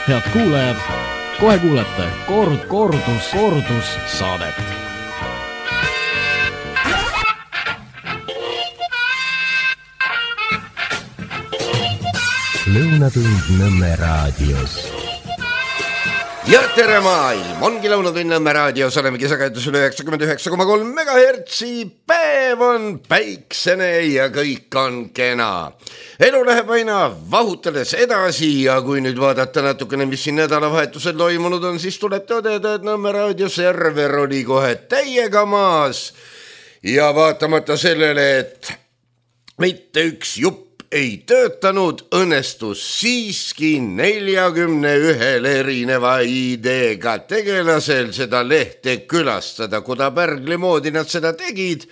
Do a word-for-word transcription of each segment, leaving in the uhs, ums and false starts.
Head kuulajad, kohe kuulete kord, kordus, kordus saadet. Lõunatund Nõmme raadios. Ja tere maailm, ongi Lõunatund Nõmme raadios, oleme kisakajätus üle üheksakümmend üheksa koma kolm megahertsi, päev on päiksene ja kõik on kena. Elu läheb aina vahutades edasi ja kui nüüd vaadata natukene, mis siin nädalavahetusel toimunud on, siis tuleb tõdeda, et Nõmme raadio server oli kohe täiega maas ja vaatamata sellele, et mitte üks jupp ei töötanud, õnnestus siiski neljakümne ühel erineva ideega tegelasel seda lehte külastada. Kuda pärgli moodi nad seda tegid,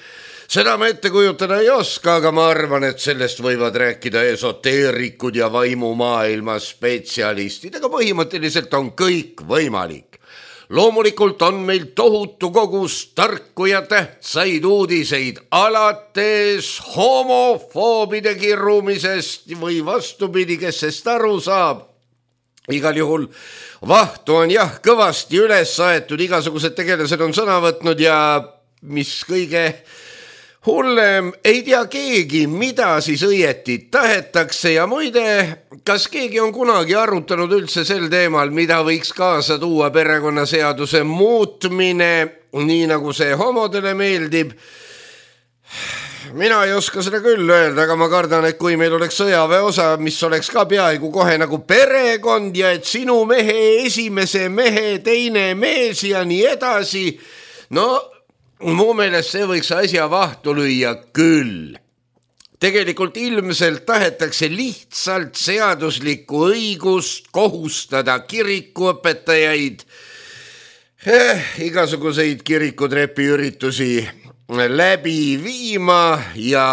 seda ma ette kujutada ei oska, aga ma arvan, et sellest võivad rääkida esoteerikud ja vaimumaailma spetsialistid, aga põhimõtteliselt on kõik võimalik. Loomulikult on meil tohutu kogus tarku ja tähtsaid uudiseid alates homofoobide kirrumisest või vastupidi, kes sest aru saab. Igal juhul vahtu on jah kõvasti üles saetud, igasugused tegelased on sõna võtnud ja mis kõige hullem, ei tea keegi, mida siis õieti tahetakse ja muide, kas keegi on kunagi arutanud üldse sel teemal, mida võiks kaasa tuua perekonnaseaduse muutmine, nii nagu see homodele meeldib? Mina ei oska seda küll öelda, aga ma kardan, et kui meil oleks sõjaväe osa, mis oleks ka peaaegu kohe nagu perekond ja et sinu mehe esimese mehe teine mees ja nii edasi, no mu meelest see võiks asja vahtu lüüa küll. Tegelikult ilmselt tahetakse lihtsalt seaduslikku õigust kohustada kirikuõpetajaid eh, igasuguseid kirikutrepiüritusi läbi viima ja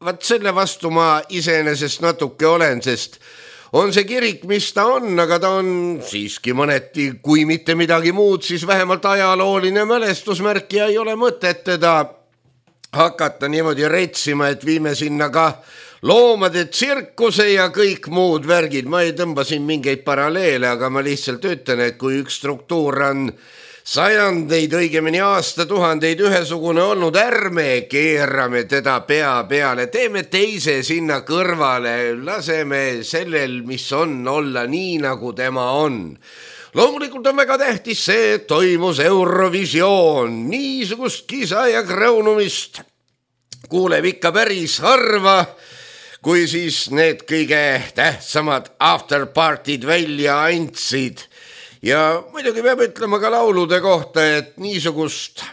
vaat selle vastu ma iseenesest natuke olen, sest on see kirik, mis ta on, aga ta on siiski mõneti, kui mitte midagi muud, siis vähemalt ajalooline mälestusmärk ja ei ole mõtet teda hakata niimoodi retsima, et viime sinna ka loomade tsirkuse ja kõik muud värgid. Ma ei tõmba siin mingeid paralleele, aga ma lihtsalt ütlen, et kui üks struktuur on sajandeid, õigemini aastatuhandeid ühesugune olnud, ärme keerame teda pea peale, teeme teise sinna kõrvale, laseme sellel, mis on, olla nii, nagu tema on. Loomulikult on väga tähtis see, et toimus Eurovisioon, niisugust kisa ja kraunumist kuuleb ikka päris harva, kui siis need kõige tähtsamad afterpartid välja andsid. Ja muidugi peab ütlema ka laulude kohta, et niisugust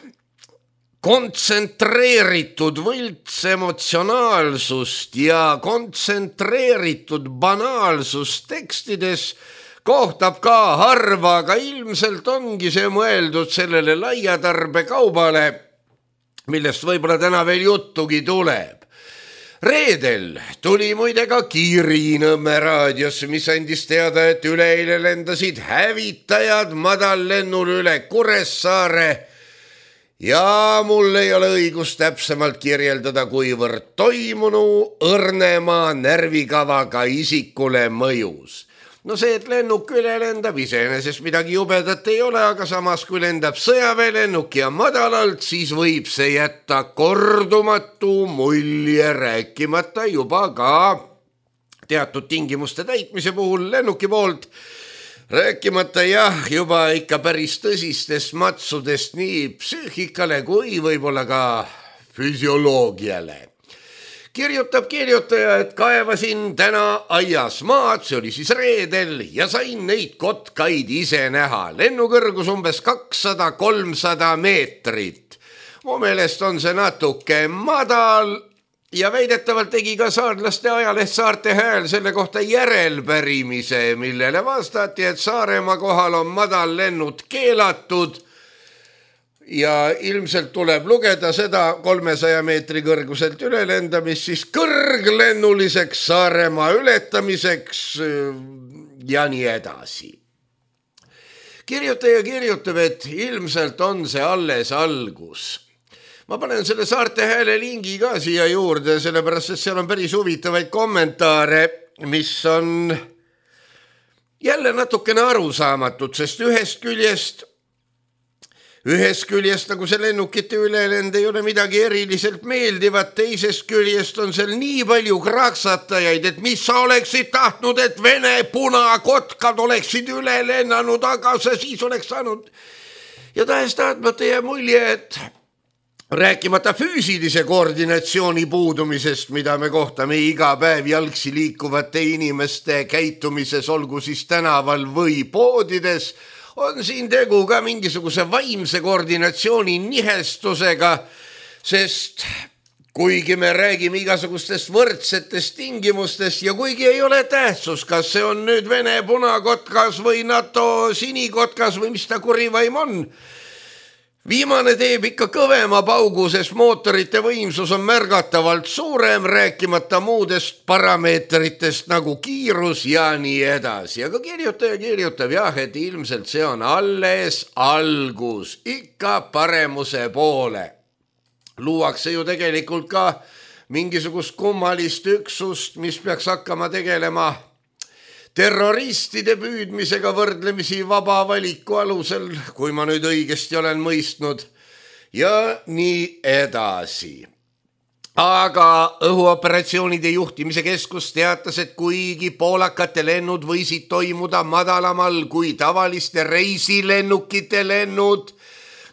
kontsentreeritud võltsemotsionaalsust ja kontsentreeritud banaalsust tekstides kohtab ka harva, aga ilmselt ongi see mõeldud sellele laiatarbekaubale, millest võib-olla täna veel juttugi tuleb. Reedel tuli muide ka kiri Nõmme raadios, mis andis teada, et üleeile lendasid hävitajad madallennul üle Kuressaare ja mul ei ole õigust täpsemalt kirjeldada, kuivõrd toimunu õrnema närvikavaga isikule mõjus. No see, et lennuk üle lendab, iseenesest midagi jubedat ei ole, aga samas kui lendab sõjaväelennuk ja madalalt, siis võib see jätta kordumatu mulje, rääkimata juba ka teatud tingimuste täitmise puhul lennuki poolt, rääkimata jah, juba ikka päris tõsistest matsudest nii psüühikale kui võib-olla ka füsioloogiale. Kirjutab kirjutaja, et kaevasin täna aias maad, see oli siis reedel, ja sain neid kotkaid ise näha. Lennukõrgus umbes kakssada kolmsada meetrit. Mu meelest on see natuke madal ja väidetavalt tegi ka saarlaste ajaleht Saarte Hääl selle kohta järelpärimise, millele vastati, et Saaremaa kohal on madal lennud keelatud ja ilmselt tuleb lugeda seda kolmesaja meetri kõrguselt ülelendamist siis kõrglennuliseks Saaremaa ületamiseks ja nii edasi. Kirjutaja kirjutab, et ilmselt on see alles algus. Ma panen selle Saarte Hääle lingi ka siia juurde, sellepärast, et seal on päris huvitavaid kommentaare, mis on jälle natukene arusaamatud, sest ühest küljest Ühest küljest nagu see lennukite ülelend ei ole midagi eriliselt meeldivat, teisest küljest on seal nii palju kraksatajaid, et mis sa oleksid tahtnud, et Vene punakotkad oleksid üle lennanud, aga see siis oleks saanud. Ja tahes tahtmata jääb mulje, et rääkimata füüsilise koordinatsiooni puudumisest, mida me kohtame iga päev jalgsi liikuvate inimeste käitumises, olgu siis tänaval või poodides, on siin tegu ka mingisuguse vaimse koordinatsiooni nihestusega, sest kuigi me räägime igasugustest võrdsetest tingimustest ja kuigi ei ole tähtsus, kas see on nüüd Vene punakotkas või NATO sinikotkas või mis ta kurivaim on, viimane teeb ikka kõvema paugu, sest mootorite võimsus on märgatavalt suurem, rääkimata muudest parameetritest nagu kiirus ja nii edasi. Aga kirjutaja kirjutab jah, et ilmselt see on alles algus, ikka paremuse poole. Luuakse ju tegelikult ka mingisugust kummalist üksust, mis peaks hakkama tegelema terroristide püüdmisega võrdlemisi vaba valiku alusel, kui ma nüüd õigesti olen mõistnud, ja nii edasi. Aga õhuoperatsioonide juhtimise keskus teatas, et kuigi poolakate lennud võisid toimuda madalamal kui tavaliste reisilennukite lennud,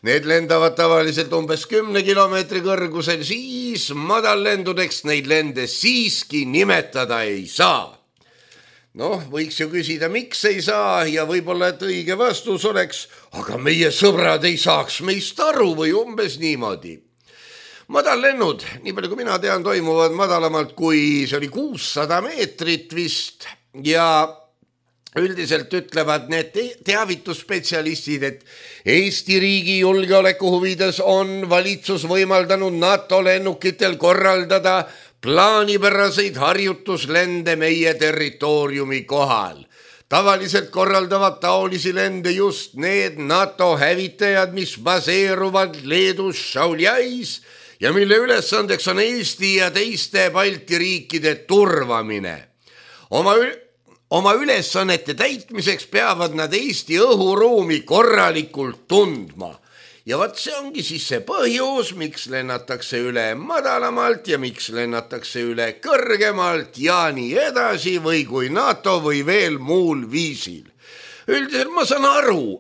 need lendavad tavaliselt umbes kümne kilomeetri kõrgusel, siis madallendudeks neid lende siiski nimetada ei saa. Noh, võiks ju küsida, miks ei saa ja võib-olla, et õige vastus oleks, aga meie sõbrad ei saaks meist aru või umbes niimoodi. Madallennud, nii palju kui mina tean, toimuvad madalamalt kui see oli kuussada meetrit vist ja üldiselt ütlevad need teavitusspetsialistid, et Eesti riigi julgeoleku huvides on valitsus võimaldanud NATO lennukitel korraldada plaanipäraseid harjutuslende meie territooriumi kohal. Tavaliselt korraldavad taolisi lende just need NATO hävitajad, mis baseeruvad Leedus Šauliais ja mille ülesandeks on Eesti ja teiste Balti riikide turvamine. Oma, oma ülesannete täitmiseks peavad nad Eesti õhuruumi korralikult tundma. Ja vaat see ongi siis see põhjus, miks lennatakse üle madalamalt ja miks lennatakse üle kõrgemalt ja nii edasi või kui NATO või veel muul viisil. Üldiselt ma saan aru,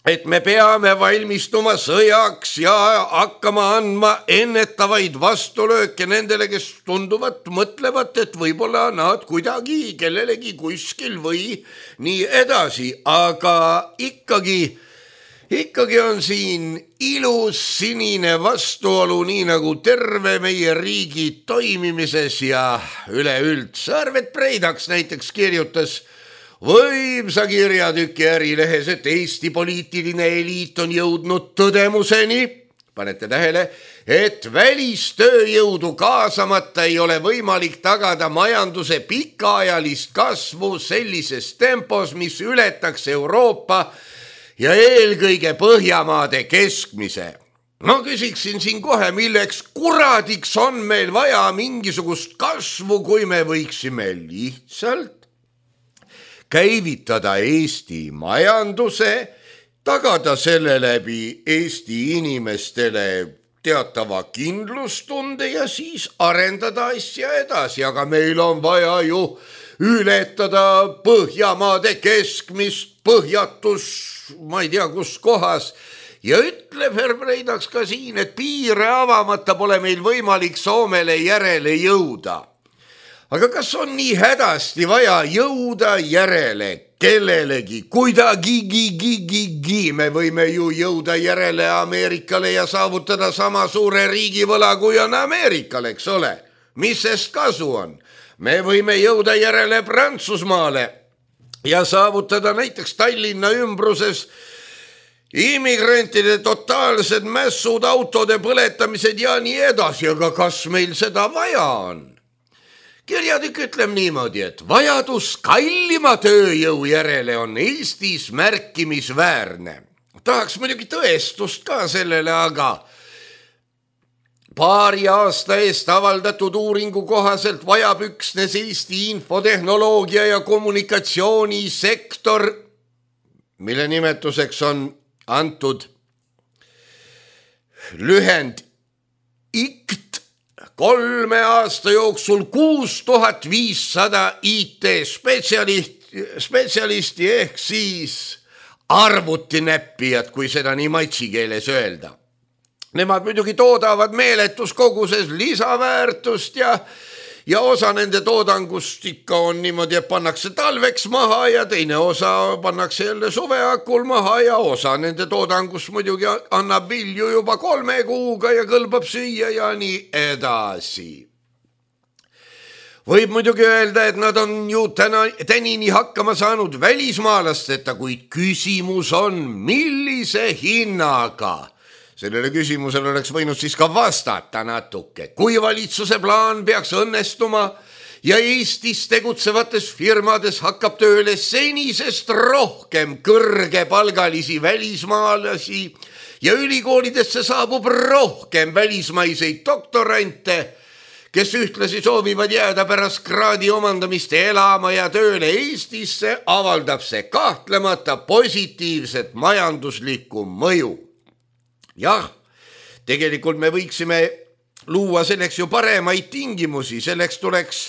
et me peame valmistuma sõjaks ja hakkama andma ennetavaid vastulööke nendele, kes tunduvad, mõtlevad, et võib-olla nad kuidagi kellelegi kuskil või nii edasi, aga ikkagi Ikkagi on siin ilus sinine vastuolu, nii nagu terve meie riigi toimimises ja üleüldse. Arvet Preidaks näiteks kirjutas võimsa kirjatüki Ärilehes, et Eesti poliitiline eliit on jõudnud tõdemuseni, panete tähele, et välistööjõudu kaasamata ei ole võimalik tagada majanduse pikaajalist kasvu sellises tempos, mis ületaks Euroopa ja eelkõige Põhjamaade keskmise. No küsiksin siin kohe, milleks kuradiks on meil vaja mingisugust kasvu, kui me võiksime lihtsalt käivitada Eesti majanduse, tagada selle läbi Eesti inimestele teatava kindlustunde ja siis arendada asja edasi, aga meil on vaja ju ületada Põhjamaade keskmist põhjatus, ma ei tea kus kohas, ja ütleb Herr Preidaks ka siin, et piire avamata pole meil võimalik Soomele järele jõuda. Aga kas on nii hädasti vaja jõuda järele kellelegi? Kuidagigi me võime ju jõuda järele Ameerikale ja saavutada sama suure riigivõla, kui on Ameerikal, eks ole? Mis sest kasu on? Me võime jõuda järele Prantsusmaale ja saavutada näiteks Tallinna ümbruses immigrantide totaalsed mässud, autode põletamised ja nii edasi, aga kas meil seda vaja on? Kirjatükk ütleb niimoodi, et vajadus kallima tööjõu järele on Eestis märkimisväärne. Tahaks muidugi tõestust ka sellele, aga paari aasta eest avaldatud uuringu kohaselt vajab üksnes Eesti infotehnoloogia ja kommunikatsioonisektor, mille nimetuseks on antud lühend I C T, kolme aasta jooksul kuus tuhat viissada I T spetsialisti, spetsialisti ehk siis arvutinäppijad, kui seda nii maitsikeeles öelda. Nemad muidugi toodavad meeletus koguses lisaväärtust ja, ja osa nende toodangust ikka on niimoodi, et pannakse talveks maha ja teine osa pannakse jälle suveakul maha ja osa nende toodangust muidugi annab vilju juba kolme kuuga ja kõlbab süüa ja nii edasi. Võib muidugi öelda, et nad on ju täna, tänini hakkama saanud välismaalasteta, kuid küsimus on, millise hinnaga? Sellele küsimusele oleks võinud siis ka vastata natuke. Kui valitsuse plaan peaks õnnestuma ja Eestis tegutsevates firmades hakkab tööle senisest rohkem kõrgepalgalisi välismaalasi ja ülikoolidesse saabub rohkem välismaiseid doktorante, kes ühtlasi soovivad jääda pärast kraadi omandamist elama ja tööle Eestisse, avaldab see kahtlemata positiivset majanduslikku mõju. Jah, tegelikult me võiksime luua selleks ju paremaid tingimusi, selleks tuleks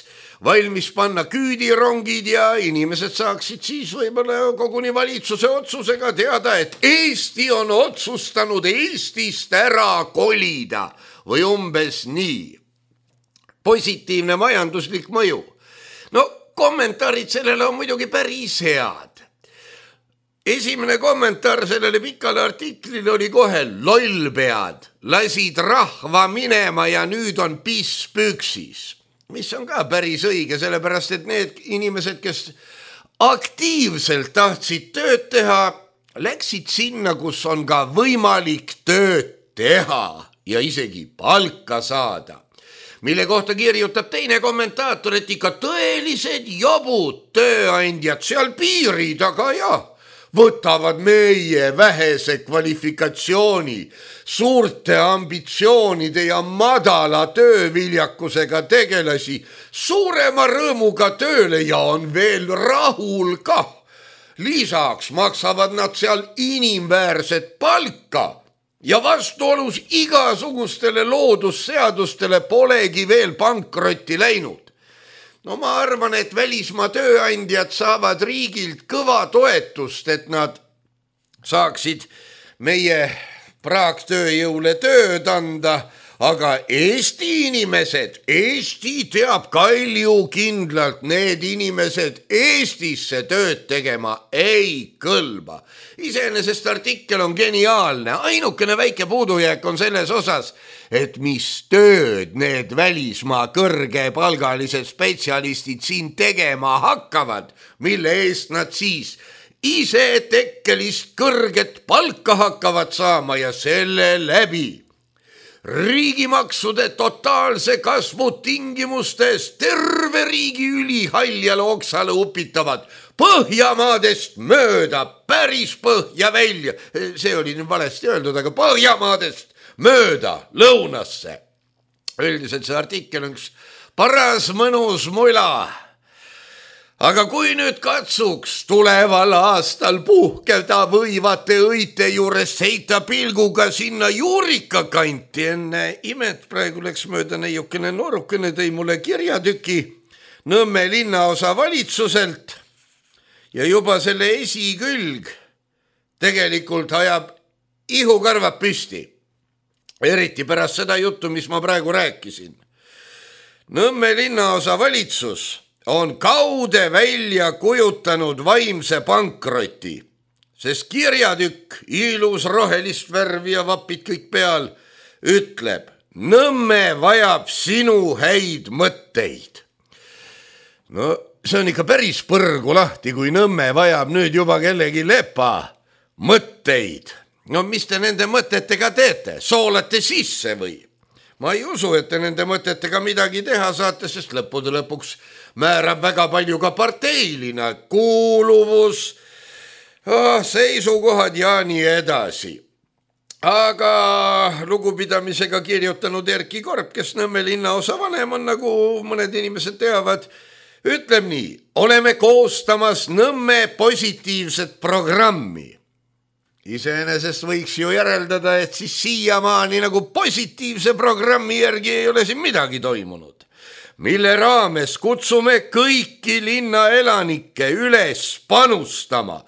valmis panna küüdirongid ja inimesed saaksid siis võib-olla koguni valitsuse otsusega teada, et Eesti on otsustanud Eestist ära kolida või umbes nii. Positiivne majanduslik mõju. No kommentaarid sellele on muidugi päris head. Esimene kommentaar sellele pikale artiklile oli kohe lollpead, lasid rahva minema ja nüüd on piss püksis, mis on ka päris õige, sellepärast et need inimesed, kes aktiivselt tahtsid tööd teha, läksid sinna, kus on ka võimalik tööd teha ja isegi palka saada. Mille kohta kirjutab teine kommentaator, et ikka tõelised jobud tööandjad seal piiri taga ja võtavad meie vähese kvalifikatsiooni, suurte ambitsioonide ja madala tööviljakusega tegelasi suurema rõõmuga tööle ja on veel rahul ka. Lisaks maksavad nad seal inimväärset palka ja vastuolus igasugustele loodusseadustele polegi veel pankrotti läinud. No ma arvan, et välismaa tööandjad saavad riigilt kõva toetust, et nad saaksid meie praaktööjõule tööd anda, aga Eesti inimesed, Eesti teab kalju kindlalt, need inimesed Eestisse tööd tegema ei kõlba. Iseenesest artikkel on geniaalne, ainukene väike puudujääk on selles osas, et mis tööd need välismaa kõrgepalgalised spetsialistid siin tegema hakkavad, mille eest nad siis ise tekkelist kõrget palka hakkavad saama ja selle läbi riigimaksude totaalse kasvu tingimustes terve riigi ülihaljale oksale upitavad Põhjamaadest mööda, päris põhja välja, see oli nüüd valesti öeldud, aga Põhjamaadest mööda lõunasse. Üldiselt see artikkel on üks paras mõnus mula. Aga kui nüüd katsuks tuleval aastal puhkeda võivate õite juures seita pilguga sinna juurika kanti, enne imet praegu läks mööda neiukene noorukene, tõi mulle kirjatüki Nõmme linnaosa valitsuselt ja juba selle esikülg tegelikult ajab ihukarvad püsti. Eriti pärast seda juttu, mis ma praegu rääkisin. Nõmme linnaosa valitsus on kaude välja kujutanud vaimse pankroti, sest kirjatükk, ilus rohelist värvi ja vapid kõik peal, ütleb, Nõmme vajab sinu häid mõtteid. No see on ikka päris põrgu lahti, kui Nõmme vajab nüüd juba kellegi lepa mõtteid. No mis te nende mõtetega teete? Soolate sisse või? Ma ei usu, et te nende mõtetega midagi teha saate, sest lõppude lõpuks määrab väga palju ka parteilina kuuluvus, oh, seisukohad ja nii edasi. aga lugupidamisega kirjutanud Erki Korp, kes Nõmme linnaosa vanem on, nagu mõned inimesed teavad, ütleb nii: oleme koostamas Nõmme positiivset programmi. Iseenesest võiks ju järeldada, et siis siiamaani nagu positiivse programmi järgi ei ole siin midagi toimunud, mille raames kutsume kõiki linnaelanikke üles panustama.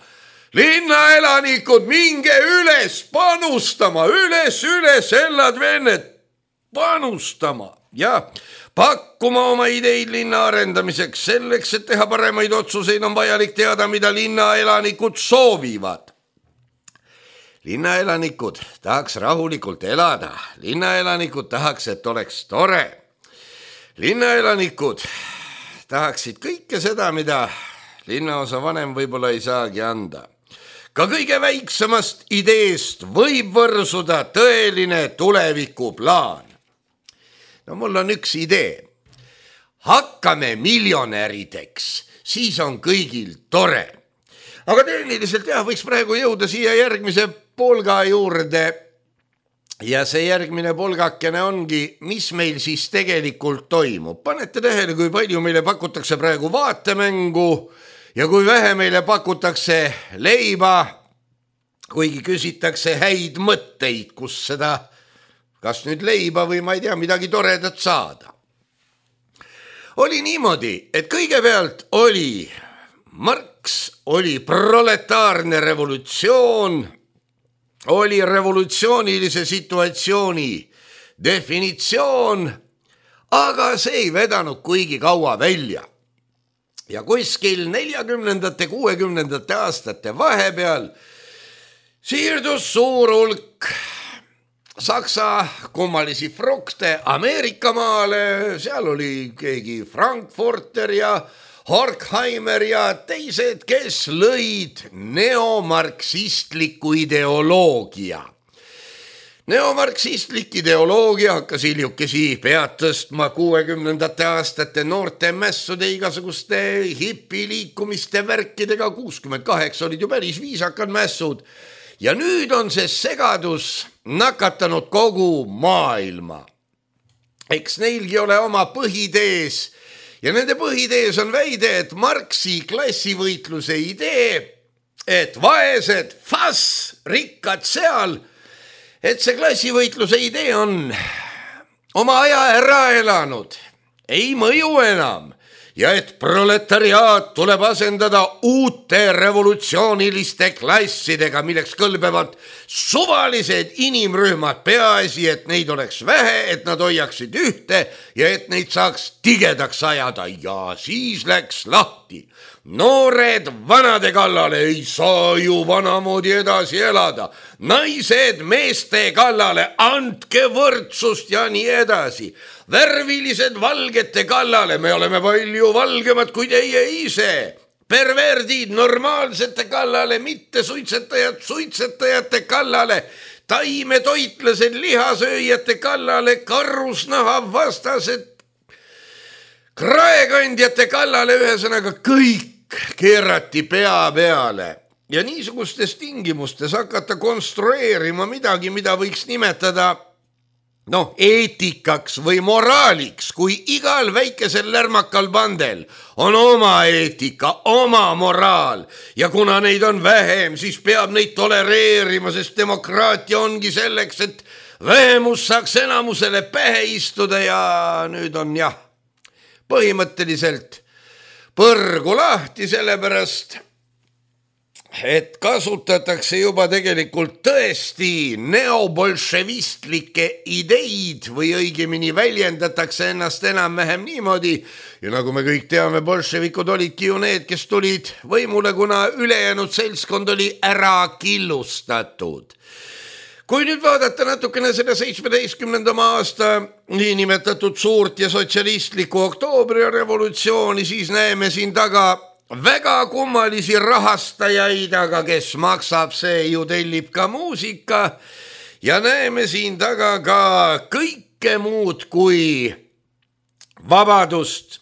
Linnaelanikud, minge üles panustama, üles, üles, ellad venned, panustama ja pakkuma oma ideid linna arendamiseks. Selleks, et teha paremaid otsuseid, on vajalik teada, mida linnaelanikud soovivad. Linnaelanikud tahaks rahulikult elada. Linnaelanikud tahaks, et oleks tore. Linnaelanikud tahaksid kõike seda, mida linnaosa vanem võib-olla ei saagi anda. Ka kõige väiksemast ideest võib võrsuda tõeline tulevikuplaan. No mul on üks idee. Hakkame miljonärideks, siis on kõigil tore. Aga tehniliselt jah, võiks praegu jõuda siia järgmise polga juurde. Ja see järgmine polgakene ongi, mis meil siis tegelikult toimub. Panete tähele, kui palju meile pakutakse praegu vaatemängu ja kui vähe meile pakutakse leiba, kuigi küsitakse häid mõtteid, kus seda, kas nüüd leiba või ma ei tea, midagi toredat saada. Oli niimoodi, et kõigepealt oli Marx, oli proletaarne revolutsioon, oli revolutsioonilise situatsiooni definitsioon, aga see ei vedanud kuigi kaua välja. Ja kuskil neljakümnendate, kuuekümnendate aastate vahepeal siirdus suur hulk Saksa kummalisi frukte Ameerika maale, seal oli keegi Frankfurter ja Horkheimer ja teised, kes lõid neomarksistliku ideoloogia. Neomarksistlik ideoloogia hakkas hiljukesi pead tõstma kuuekümnendate aastate noorte mässude igasuguste hipiliikumiste värkidega. kuuskümmend kaheksa olid ju päris viisakad mässud. Ja nüüd on see segadus nakatanud kogu maailma. Eks neilgi ole oma põhitees. Ja nende põhitees on väide, et Marxi klassivõitluse idee, et vaesed fass, rikkad seal, et see klassivõitluse idee on oma aja ära elanud, ei mõju enam ja et proletariaat tuleb asendada uute revolutsiooniliste klassidega, milleks kõlbevad suvalised inimrühmad, peaasi, et neid oleks vähe, et nad hoiaksid ühte ja et neid saaks tigedaks ajada. Ja siis läks lahti. Noored vanade kallale, ei saa ju vanamoodi edasi elada. Naised meeste kallale, andke võrdsust ja nii edasi. Värvilised valgete kallale, me oleme palju valgemad kui teie ise. Perverdid normaalsete kallale, mitte suitsetajad suitsetajate kallale. Taimetoitlased lihasööjate kallale, karusnaha vastased kraekandjate kallale, ühesõnaga kõik keerati pea peale. Ja niisugustes tingimustes hakata konstrueerima midagi, mida võiks nimetada noh, eetikaks või moraaliks, kui igal väikesel lärmakal pandel on oma eetika, oma moraal ja kuna neid on vähem, siis peab neid tolereerima, sest demokraatia ongi selleks, et vähemus saaks enamusele pähe istuda ja nüüd on jah, põhimõtteliselt põrgu lahti, sellepärast et kasutatakse juba tegelikult tõesti neobolševistlikke ideid või õigemini väljendatakse ennast enam-vähem niimoodi. Ja nagu me kõik teame, bolševikud olidki ju need, kes tulid võimule, kuna ülejäänud seltskond oli ära killustatud. Kui nüüd vaadata natukene selle seitsmeteistkümnendama aasta niinimetatud suurt ja sotsialistlikku oktoobri revolutsiooni, siis näeme siin taga väga kummalisi rahastajaid, aga kes maksab, see ju tellib ka muusika ja näeme siin taga ka kõike muud kui vabadust.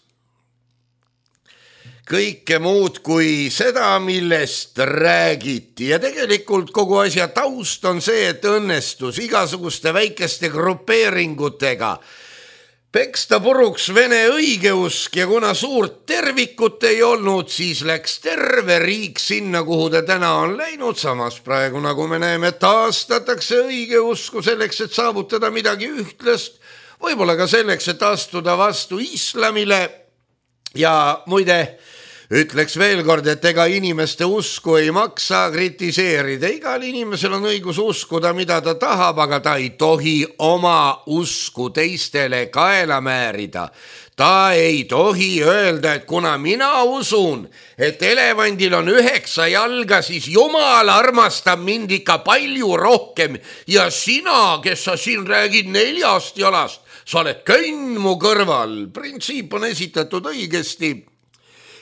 kõike muud kui seda, millest räägiti. Ja tegelikult kogu asja taust on see, et õnnestus igasuguste väikeste grupeeringutega peksta puruks Vene õigeusk ja kuna suurt tervikut ei olnud, siis läks terve riik sinna, kuhu ta täna on läinud. Samas praegu, nagu me näeme, taastatakse õigeusku selleks, et saavutada midagi ühtlast, võib-olla ka selleks, et astuda vastu islamile. Ja muide, ütleks veel kord, et ega inimeste usku ei maksa kritiseerida. Igal inimesel on õigus uskuda, mida ta tahab, aga ta ei tohi oma usku teistele kaela määrida. Ta ei tohi öelda, et kuna mina usun, et elevandil on üheksa jalga, siis Jumal armastab mind ikka palju rohkem ja sina, kes sa siin räägid neljast jalast, sa oled könn mu kõrval. Printsiip on esitatud õigesti.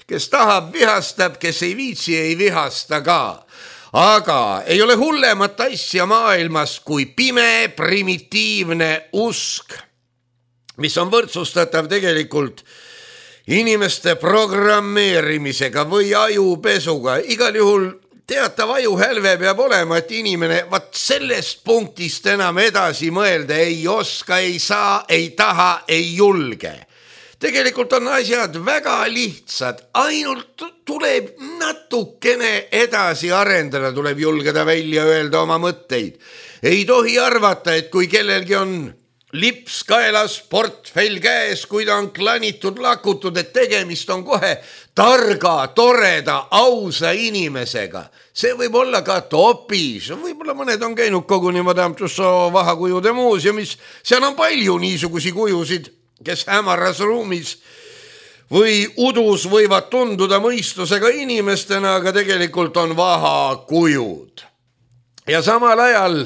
Kes tahab, vihastab, kes ei viitsi, ei vihasta ka. Aga ei ole hullemat asja maailmas kui pime, primitiivne usk, mis on võrdsustatav tegelikult inimeste programmeerimisega või ajupesuga. Igal juhul teatav ajuhälve peab olema, et inimene vaat sellest punktist enam edasi mõelda ei oska, ei saa, ei taha, ei julge. Tegelikult on asjad väga lihtsad, ainult tuleb natukene edasi arendada, tuleb julgeda välja öelda oma mõtteid. Ei tohi arvata, et kui kellelgi on lips kaelas, portfell käes, kui ta on klanitud, lakutud, et tegemist on kohe targa, toreda, ausa inimesega. See võib olla ka topis, võib-olla mõned on käinud koguni Madame Tussauds vahakujude muuseumis, seal on palju niisugusi kujusid, kes hämaras ruumis või udus võivad tunduda mõistusega inimestena, aga tegelikult on vahakujud. Ja samal ajal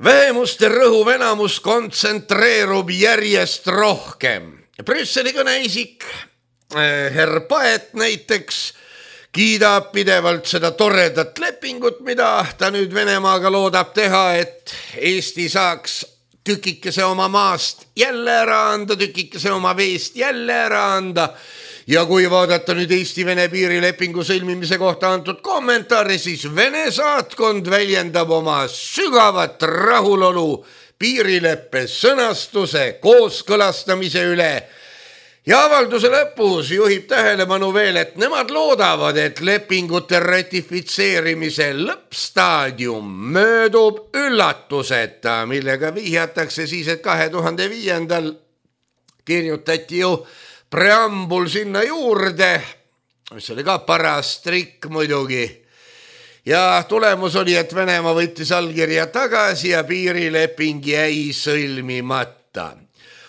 vähemuste rõhuv enamus kontsentreerub järjest rohkem. Brüsseli kõneisik, herr Paet näiteks, kiidab pidevalt seda toredat lepingut, mida ta nüüd Venemaaga loodab teha, et Eesti saaks tükikese oma maast jälle ära anda, tükikese oma veest jälle ära anda. Ja kui vaadata nüüd Eesti-Vene piirilepingu sõlmimise kohta antud kommentaari, siis Vene saatkond väljendab oma sügavat rahulolu piirileppe sõnastuse kooskõlastamise üle. Ja avalduse lõpus juhib tähelepanu veel, et nemad loodavad, et lepingute ratifitseerimise lõppstaadium möödub üllatuseta, millega vihjatakse siis, et kahe tuhande viiendal kirjutati ju preambul sinna juurde, mis oli ka paras trikk muidugi. Ja tulemus oli, et Venemaa võttis allkirja tagasi ja piirileping jäi sõlmimata.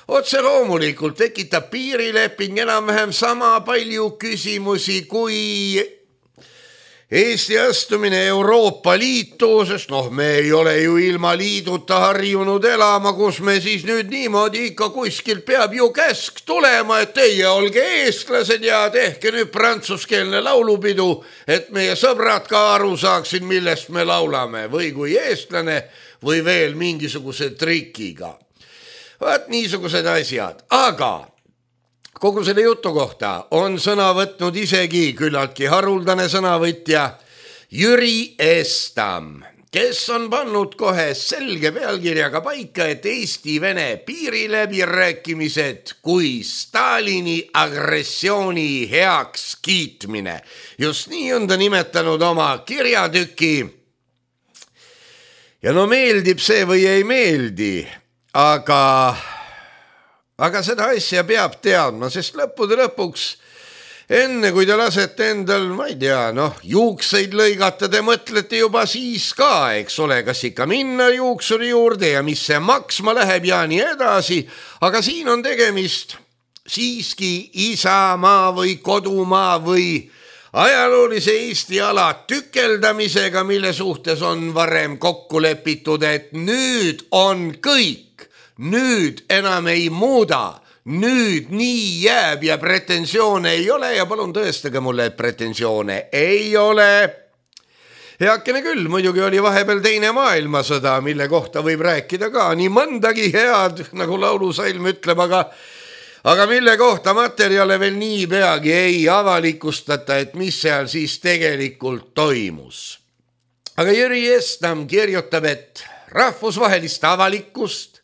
Otse loomulikult tekitab piirileping enam-vähem sama palju küsimusi kui Eesti astumine Euroopa Liitu, sest noh, me ei ole ju ilma liiduta harjunud elama, kus me siis nüüd niimoodi ikka kuskilt peab ju käsk tulema, et teie olge eestlased ja tehke nüüd prantsuskeelne laulupidu, et meie sõbrad ka aru saaksid, millest me laulame, või kui eestlane või veel mingisuguse trikiga. Vaat niisugused asjad, aga kogu selle jutu kohta on sõna võtnud isegi küllaltki haruldane sõnavõtja Jüri Estam, kes on pannud kohe selge pealkirjaga paika, et Eesti-Vene piiriläbirääkimised kui Stalini agressiooni heaks kiitmine. Just nii on ta nimetanud oma kirjatüki. Ja no meeldib see või ei meeldi, Aga, aga seda asja peab teadma, sest lõppude lõpuks, enne kui te lasete endal, ma ei tea, noh, juukseid lõigata, te mõtlete juba siis ka, eks ole, kas ikka minna juuksuri juurde ja mis see maksma läheb ja nii edasi, aga siin on tegemist siiski isamaa või kodumaa või ajaloolise Eesti ala tükeldamisega, mille suhtes on varem kokku lepitud, et nüüd on kõik, nüüd enam ei muuda, nüüd nii jääb ja pretensioone ei ole ja palun tõestage mulle, et pretensioone ei ole. Heakene küll, muidugi oli vahepeal teine maailmasõda, mille kohta võib rääkida ka nii mõndagi head, nagu laulusalm ütleb, aga aga mille kohta materjale veel nii peagi ei avalikustata, et mis seal siis tegelikult toimus. Aga Jüri Estam kirjutab, et rahvusvahelist avalikkust,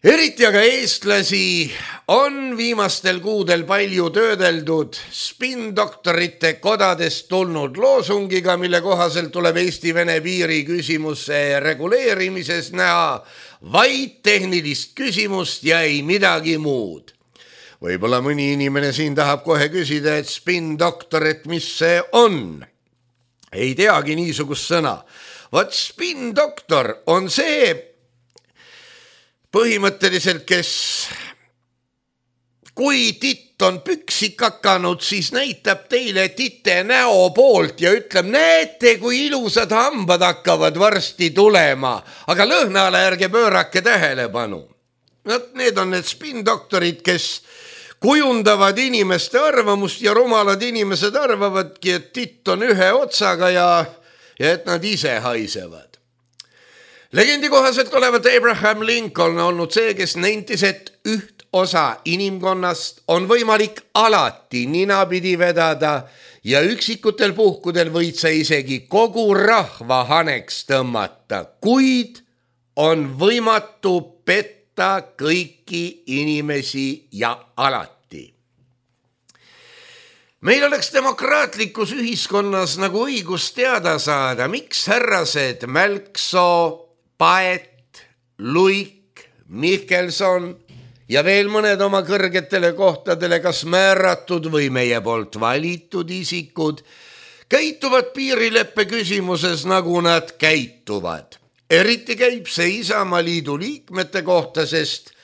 eriti aga eestlasi, on viimastel kuudel palju töödeldud spindoktorite kodadest tulnud loosungiga, mille kohaselt tuleb Eesti-Vene piiri küsimuse reguleerimises näha vaid tehnilist küsimust ja ei midagi muud. Võib-olla mõni inimene siin tahab kohe küsida, et spindoktor, et mis see on? Ei teagi niisugust sõna. Vaat spindoktor on see põhimõtteliselt, kes kui titt on püksi kakanud, siis näitab teile tite näo poolt ja ütleb, näete, kui ilusad hambad hakkavad varsti tulema, aga lõhnale ärge pöörake tähelepanu. Need on need spindoktorid, kes kujundavad inimeste arvamust ja rumalad inimesed arvavadki, et titt on ühe otsaga ja, ja et nad ise haisevad. Legendi kohaselt olevat Abraham Lincoln olnud see, kes nentis, et üht osa inimkonnast on võimalik alati ninapidi vedada ja üksikutel puhkudel võid sa isegi kogu rahva haneks tõmmata, kuid on võimatu petta kõiki inimesi ja alati. Meil oleks demokraatlikus ühiskonnas nagu õigus teada saada, miks härrased Mälksoo, Paet, Luik, Mihkelson ja veel mõned oma kõrgetele kohtadele kas määratud või meie poolt valitud isikud käituvad piirileppe küsimuses, nagu nad käituvad. Eriti käib see Isamaa Liidu liikmete kohta, sest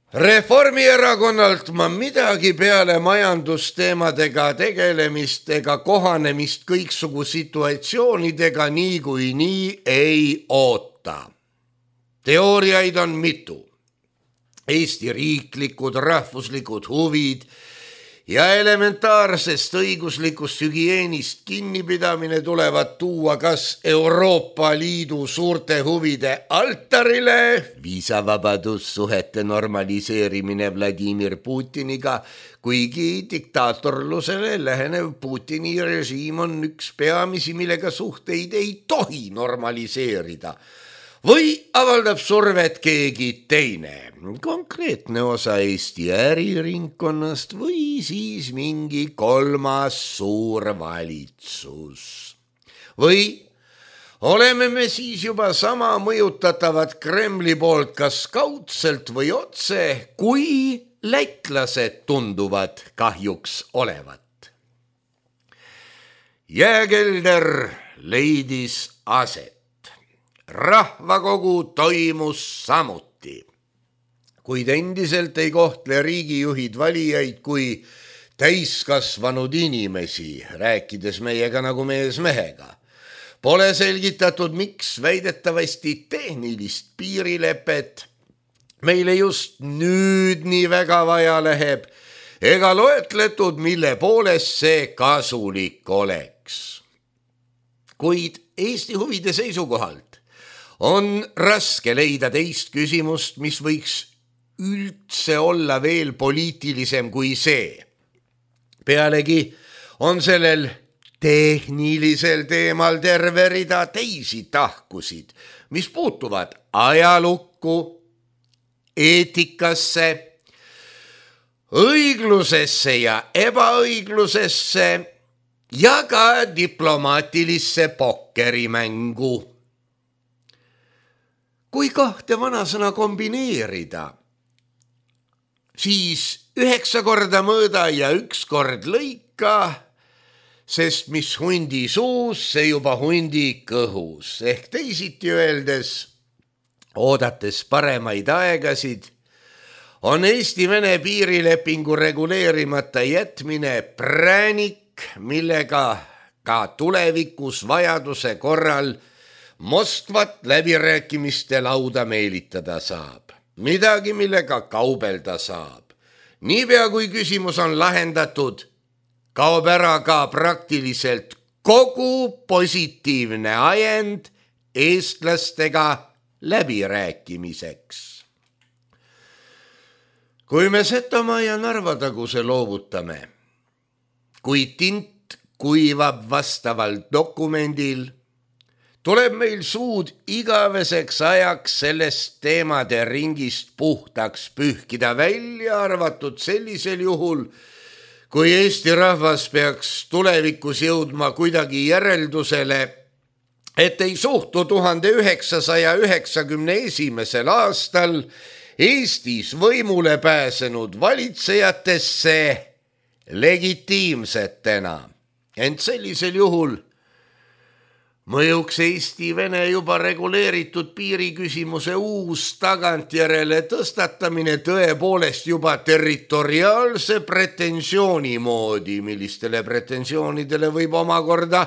Reformierakonnalt ma midagi peale majandusteemadega tegelemist ega kohanemist kõiksugu situatsioonidega nii kui nii ei oota. Teooriaid on mitu. Eesti riiklikud, rahvuslikud huvid ja elementaarsest õiguslikust hügieenist kinnipidamine tulevad tuua kas Euroopa Liidu suurte huvide altarile, viisavabadussuhete normaliseerimine Vladimir Putiniga, kuigi diktaatorlusele lähenev Putini režiim on üks peamisi, millega suhteid ei tohi normaliseerida. Või avaldab survet keegi teine, konkreetne osa Eesti äriringkonnast või siis mingi kolmas suur valitsus. Või oleme me siis juba sama mõjutatavad Kremli poolt kas kaudselt või otse, kui lätlased tunduvad kahjuks olevat. Jääkelder leidis aset. Rahvakogu toimus samuti, kuid endiselt ei kohtle riigijuhid valijaid kui täiskasvanud inimesi, rääkides meiega nagu mees mehega. Pole selgitatud, miks väidetavasti tehnilist piirilepet meile just nüüd nii väga vaja läheb, ega loetletud, mille poolest see kasulik oleks. Kuid Eesti huvide seisukohalt on raske leida teist küsimust, mis võiks üldse olla veel poliitilisem kui see. Pealegi on sellel tehnilisel teemal terve rida teisi tahkusid, mis puutuvad ajalukku, eetikasse, õiglusesse ja ebaõiglusesse ja ka diplomaatilisse pokkerimängu. Kui kahte vanasõna kombineerida, siis üheksa korda mõõda ja üks kord lõika, sest mis hundi suus, see juba hundi kõhus. Ehk teisiti öeldes, oodates paremaid aegasid, on Eesti-Vene piirilepingu reguleerimata jätmine präänik, millega ka tulevikus vajaduse korral Moskvat läbirääkimiste lauda meelitada saab. Midagi, millega kaubelda saab. Niipea kui küsimus on lahendatud, kaob ära ka praktiliselt kogu positiivne ajend eestlastega läbirääkimiseks. kui me Setomaa ja Narva taguse loovutame, kui tint kuivab vastaval dokumendil, tuleb meil suud igaveseks ajaks sellest teemade ringist puhtaks pühkida, välja arvatud sellisel juhul, kui Eesti rahvas peaks tulevikus jõudma kuidagi järeldusele, et ei suhtu tuhande üheksasaja üheksakümne esimesel aastal Eestis võimule pääsenud valitsejatesse legitiimsetena. Ent sellisel juhul mõjuks Eesti-Vene juba reguleeritud piiriküsimuse uus tagantjärele tõstatamine tõepoolest juba territoriaalse pretensiooni moodi, millistele pretensioonidele võib omakorda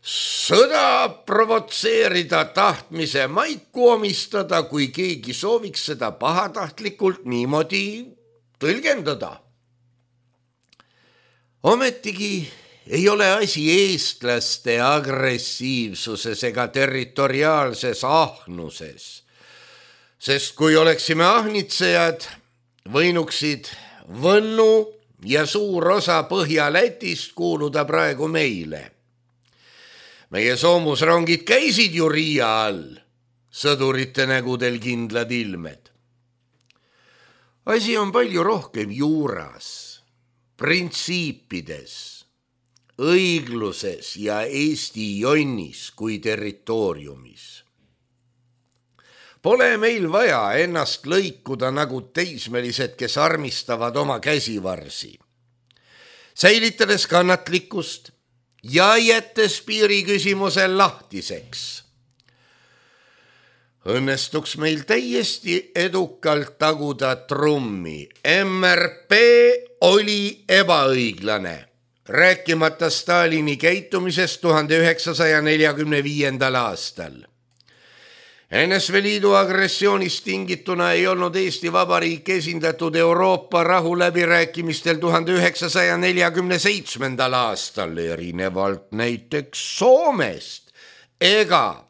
sõda provotseerida, tahtmise maiku omistada, kui keegi sooviks seda pahatahtlikult niimoodi tõlgendada. Ometigi ei ole asi eestlaste agressiivsuses ega territoriaalses ahnuses, sest kui oleksime ahnitsejad, võinuksid Võnnu ja suur osa Põhja-Lätist kuuluda praegu meile. Meie soomusrongid käisid ju Riia all, sõdurite nägudel kindlad ilmed. Asi on palju rohkem juuras, printsiipides, õigluses ja Eesti jonnis kui territooriumis. Pole meil vaja ennast lõikuda nagu teismelised, kes armistavad oma käsivarsi. Säilitades kannatlikkust ja jättes piiriküsimusel lahtiseks, õnnestuks meil täiesti edukalt taguda trummi. M R P oli ebaõiglane, rääkimata Stalini käitumisest tuhande üheksasaja neljakümne viiendal aastal. N S V Liidu agressioonist tingituna ei olnud Eesti Vabariik esindatud Euroopa rahuläbirääkimistel tuhande üheksasaja neljakümne seitsmendal aastal, erinevalt näiteks Soomest, ega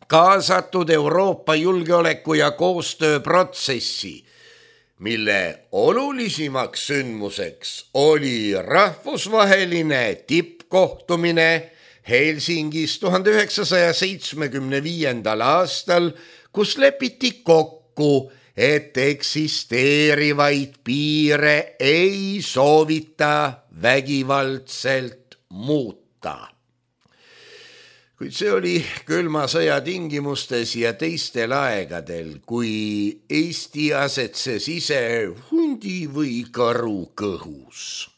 kaasatud Euroopa julgeoleku- ja koostööprotsessi, mille olulisimaks sündmuseks oli rahvusvaheline tippkohtumine Helsingis tuhande üheksasaja seitsmekümne viiendal aastal, kus lepiti kokku, et eksisteerivaid piire ei soovita vägivaldselt muuta. Kuid see oli külma sõja tingimustes ja teistel aegadel, kui Eesti asetses ise hundi või karu kõhus.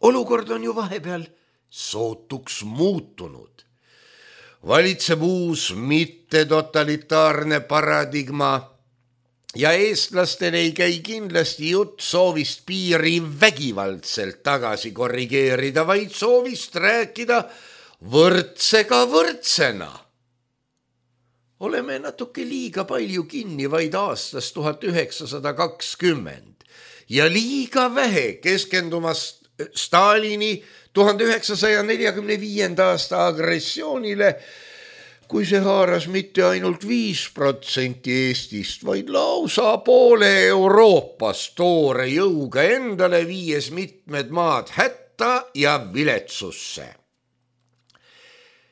Olukord on ju vahepeal sootuks muutunud. Valitseb uus mittetotalitaarne paradigma ja eestlastel ei käi kindlasti jutt soovist piiri vägivaldselt tagasi korrigeerida, vaid soovist rääkida võrdsega võrdsena. Oleme natuke liiga palju kinni vaid aastast tuhat üheksasada kakskümmend ja liiga vähe keskendumas Stalini tuhande üheksasaja neljakümne viienda aasta agressioonile, kui see haaras mitte ainult viis protsenti Eestist, vaid lausa poole Euroopast toore jõuga endale, viies mitmed maad hätta ja viletsusse.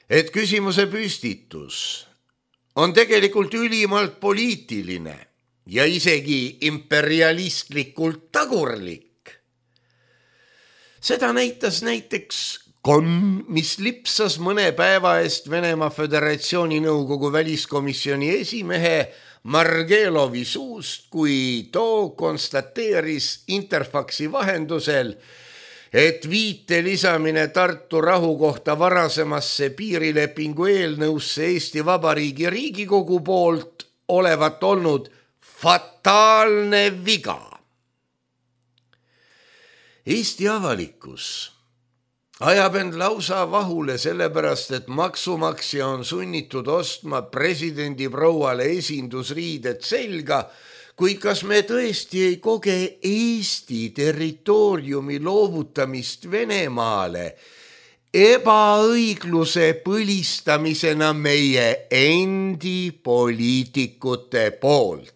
Et küsimuse püstitus on tegelikult ülimalt poliitiline ja isegi imperialistlikult tagurlik. Seda näitas näiteks konn, mis lipsas mõne päeva eest Venemaa Föderatsiooni Nõukogu väliskomisjoni esimehe Margelovi suust, kui too konstateeris Interfaxi vahendusel, et viite lisamine Tartu rahu kohta varasemasse piirilepingu eelnõusse Eesti Vabariigi Riigikogu poolt olevat olnud fataalne viga. Eesti avalikkus ajab end lausa vahule sellepärast, et maksumaksja on sunnitud ostma presidendi prouale esindusriided selga, kuid kas me tõesti ei koge Eesti territooriumi loovutamist Venemaale ebaõigluse põlistamisena meie endi poliitikute poolt?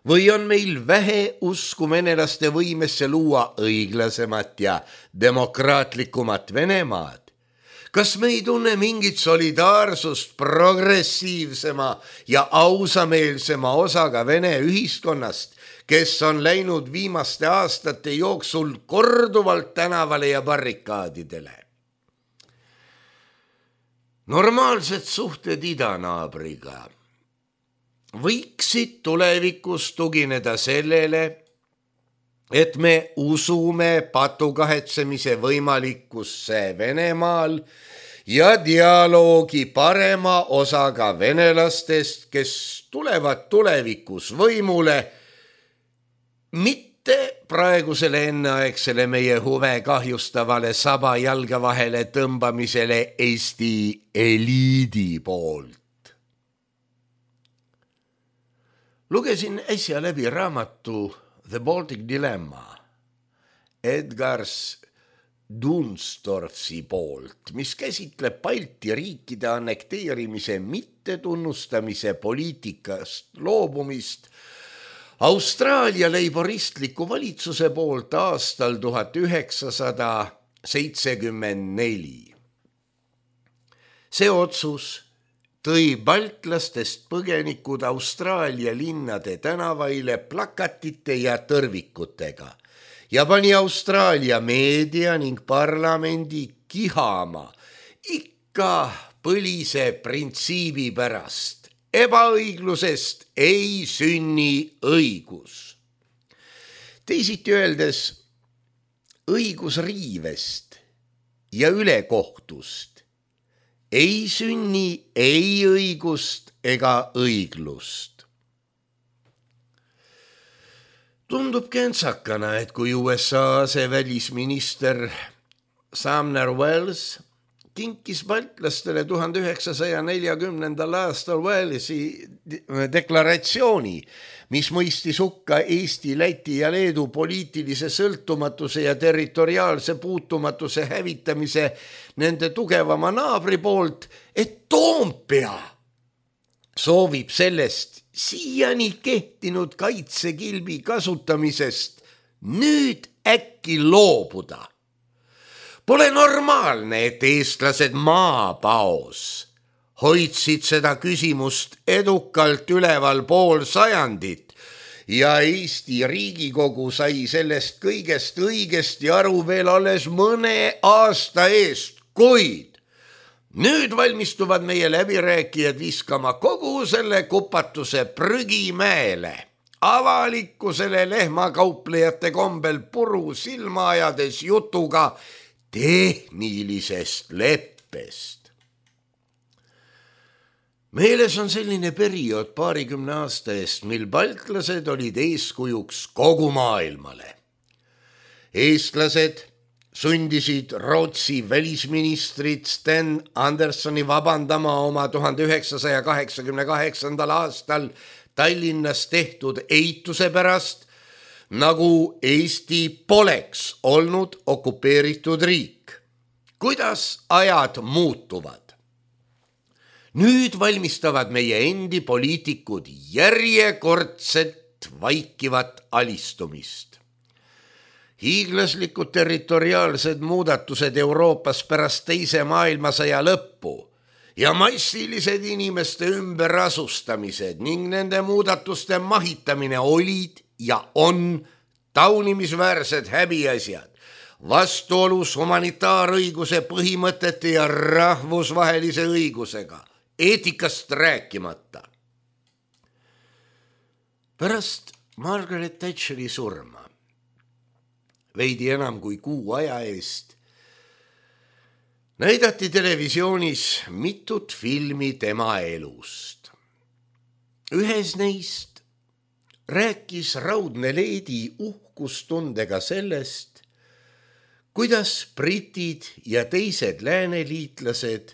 või on meil vähe usku venelaste võimesse luua õiglasemat ja demokraatlikumat Venemaad? Kas me ei tunne mingit solidaarsust progressiivsema ja ausameelsema osaga Vene ühiskonnast, kes on läinud viimaste aastate jooksul korduvalt tänavale ja barrikaadidele? Normaalsed suhted idanaabriga võiksid tulevikus tugineda sellele, et me usume patukahetsemise võimalikkusse Venemaal ja dialoogi parema osaga venelastest, kes tulevad tulevikus võimule, mitte praegusele enneaegsele meie huve kahjustavale saba jalga vahele tõmbamisele Eesti eliidi poolt. Lugesin äsja läbi raamatu The Baltic Dilemma Edgar Dunstorfsi poolt, mis käsitleb Balti riikide annekteerimise mittetunnustamise poliitikast loobumist Austraalia leiboristliku valitsuse poolt aastal tuhat üheksasada seitsekümmend neli. See otsus tõi baltlastest põgenikud Austraalia linnade tänavaile plakatite ja tõrvikutega ja pani Austraalia meedia ning parlamendi kihama ikka põlise printsiibi pärast. Ebaõiglusest ei sünni õigus. Teisiti öeldes, õigusriivest ja ülekohtust ei sünni ei õigust ega õiglust. Tundub kentsakana, et kui U S A asevälisminister Sumner Welles kinkis baltlastele tuhande üheksasaja neljakümnendal aastal Wellesi deklaratsiooni, mis mõistis hukka Eesti, Läti ja Leedu poliitilise sõltumatuse ja territoriaalse puutumatuse hävitamise nende tugevama naabri poolt, et Toompea soovib sellest siiani kehtinud kaitsekilbi kasutamisest nüüd äkki loobuda. Pole normaalne, et eestlased maapaos hoidsid seda küsimust edukalt üleval pool sajandit ja Eesti Riigikogu sai sellest kõigest õigesti aru veel alles mõne aasta eest, kuid nüüd valmistuvad meie läbirääkijad viskama kogu selle kupatuse prügimäele, avalikkusele lehmakauplejate kombel puru silma ajades jutuga tehnilisest leppest. Meeles on selline periood paarikümne aasta eest, mil baltlased olid eeskujuks kogu maailmale. Eestlased sundisid Rootsi välisministrit Sten Anderssoni vabandama oma tuhande üheksasaja kaheksakümne kaheksandal aastal Tallinnas tehtud eituse pärast, nagu Eesti poleks olnud okupeeritud riik. Kuidas ajad muutuvad? Nüüd valmistavad meie endi poliitikud järjekordset vaikivat alistumist. Hiiglaslikud territoriaalsed muudatused Euroopas pärast teise maailmasõja lõppu ja massilised inimeste ümberasustamised ning nende muudatuste mahitamine olid ja on taunimisväärsed häbiasjad, vastuolus humanitaarõiguse põhimõtete ja rahvusvahelise õigusega, eetikast rääkimata. Pärast Margaret Thatcheri surma, veidi enam kui kuu aja eest, näidati televisioonis mitut filmi tema elust. Ühes neist rääkis raudne leedi uhkustundega sellest, kuidas britid ja teised lääneliitlased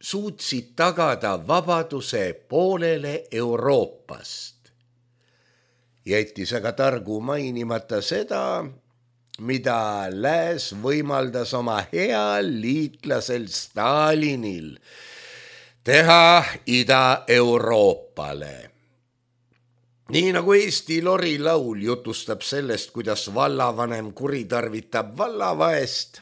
suutsid tagada vabaduse poolele Euroopast. Jättis aga targu mainimata seda, mida lääs võimaldas oma heal liitlasel Stalinil teha Ida-Euroopale. nii nagu Eesti lorilaul jutustab sellest, kuidas vallavanem kuritarvitab vallavaest,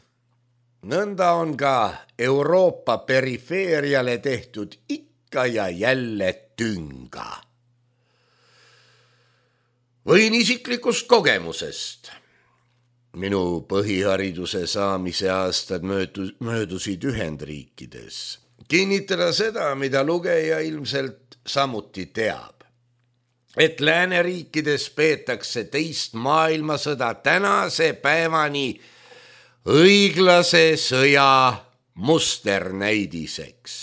nõnda on ka Euroopa perifeeriale tehtud ikka ja jälle tünga. Võin isiklikust kogemusest. Minu põhihariduse saamise aastad möödusid Ühendriikides. Kinnitada seda, mida lugeja ilmselt samuti teab. Et lääneriikides peetakse teist maailmasõda tänase päevani õiglase sõja musternäidiseks.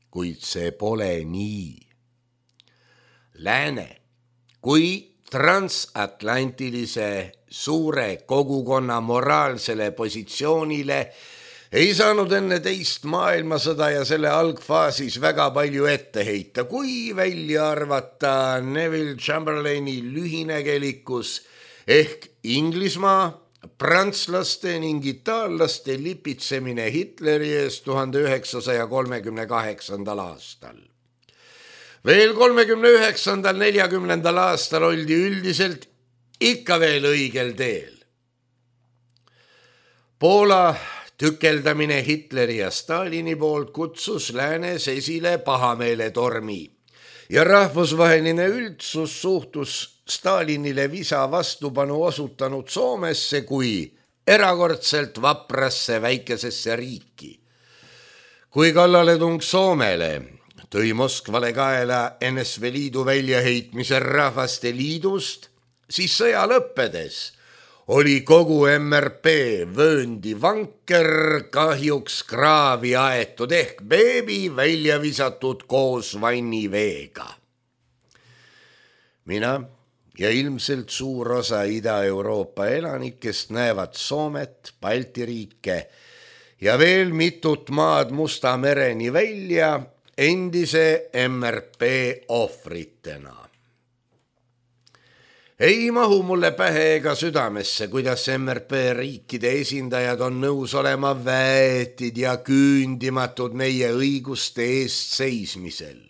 Kuid see pole nii. Lääne kui transatlantilise suure kogukonna moraalsele positsioonile ei saanud enne teist maailmasõda ja selle algfaasis väga palju ette heita, kui välja arvata Neville Chamberlaini lühinägelikkus ehk Inglismaa, prantslaste ning itaallaste lipitsemine Hitleri ees tuhande üheksasaja kolmekümne kaheksandal aastal. Veel kolmekümne üheksandal neljakümnendal aastal oldi üldiselt ikka veel õigel teel. Poola tükeldamine Hitleri ja Stalini poolt kutsus läänes esile pahameeletormi ja rahvusvaheline üldsus suhtus Stalinile visa vastupanu osutanud Soomesse kui erakordselt vaprasse väikesesse riiki. Kui kallaletung Soomele tõi Moskvale kaela N S V Liidu väljaheitmise Rahvaste Liidust, siis sõja lõppedes oli kogu M R P vööndi vanker kahjuks kraavi aetud ehk beebi välja visatud koos vanniveega. Mina ja ilmselt suur osa Ida-Euroopa elanikest näevad Soomet, Balti riike ja veel mitut maad Musta mereni välja endise M R P ohvritena. Ei mahu mulle pähe ega südamesse, kuidas M R P riikide esindajad on nõus olema väetid ja küündimatud meie õiguste eest seismisel.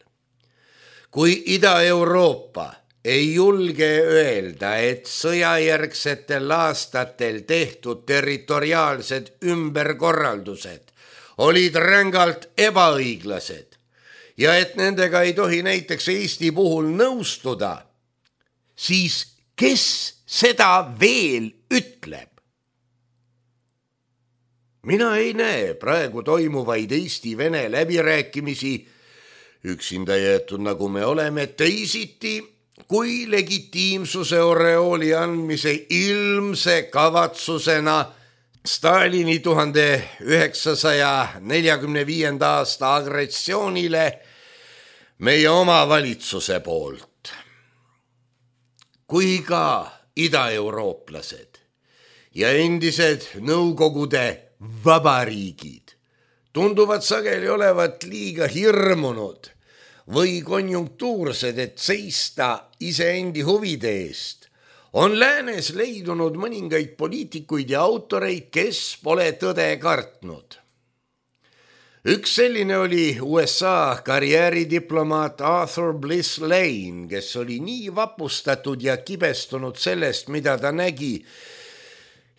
Kui Ida-Euroopa ei julge öelda, et sõjajärgsetel aastatel tehtud territoriaalsed ümberkorraldused olid rängalt ebaõiglased ja et nendega ei tohi näiteks Eesti puhul nõustuda, siis kes seda veel ütleb? Mina ei näe praegu toimuvaid Eesti-Vene läbirääkimisi, üksinda jäetud nagu me oleme, teisiti kui legitiimsuse oreooli andmise ilmse kavatsusena Stalini tuhande üheksasaja neljakümne viienda aasta agressioonile meie oma valitsuse poolt. Kui ka idaeurooplased ja endised Nõukogude vabariigid tunduvad sageli olevat liiga hirmunud või konjunktuursed, et seista iseendi huvide eest, on läänes leidunud mõningaid poliitikuid ja autoreid, kes pole tõde kartnud. Üks selline oli U S A karjääridiplomaat Arthur Bliss Lane, kes oli nii vapustatud ja kibestunud sellest, mida ta nägi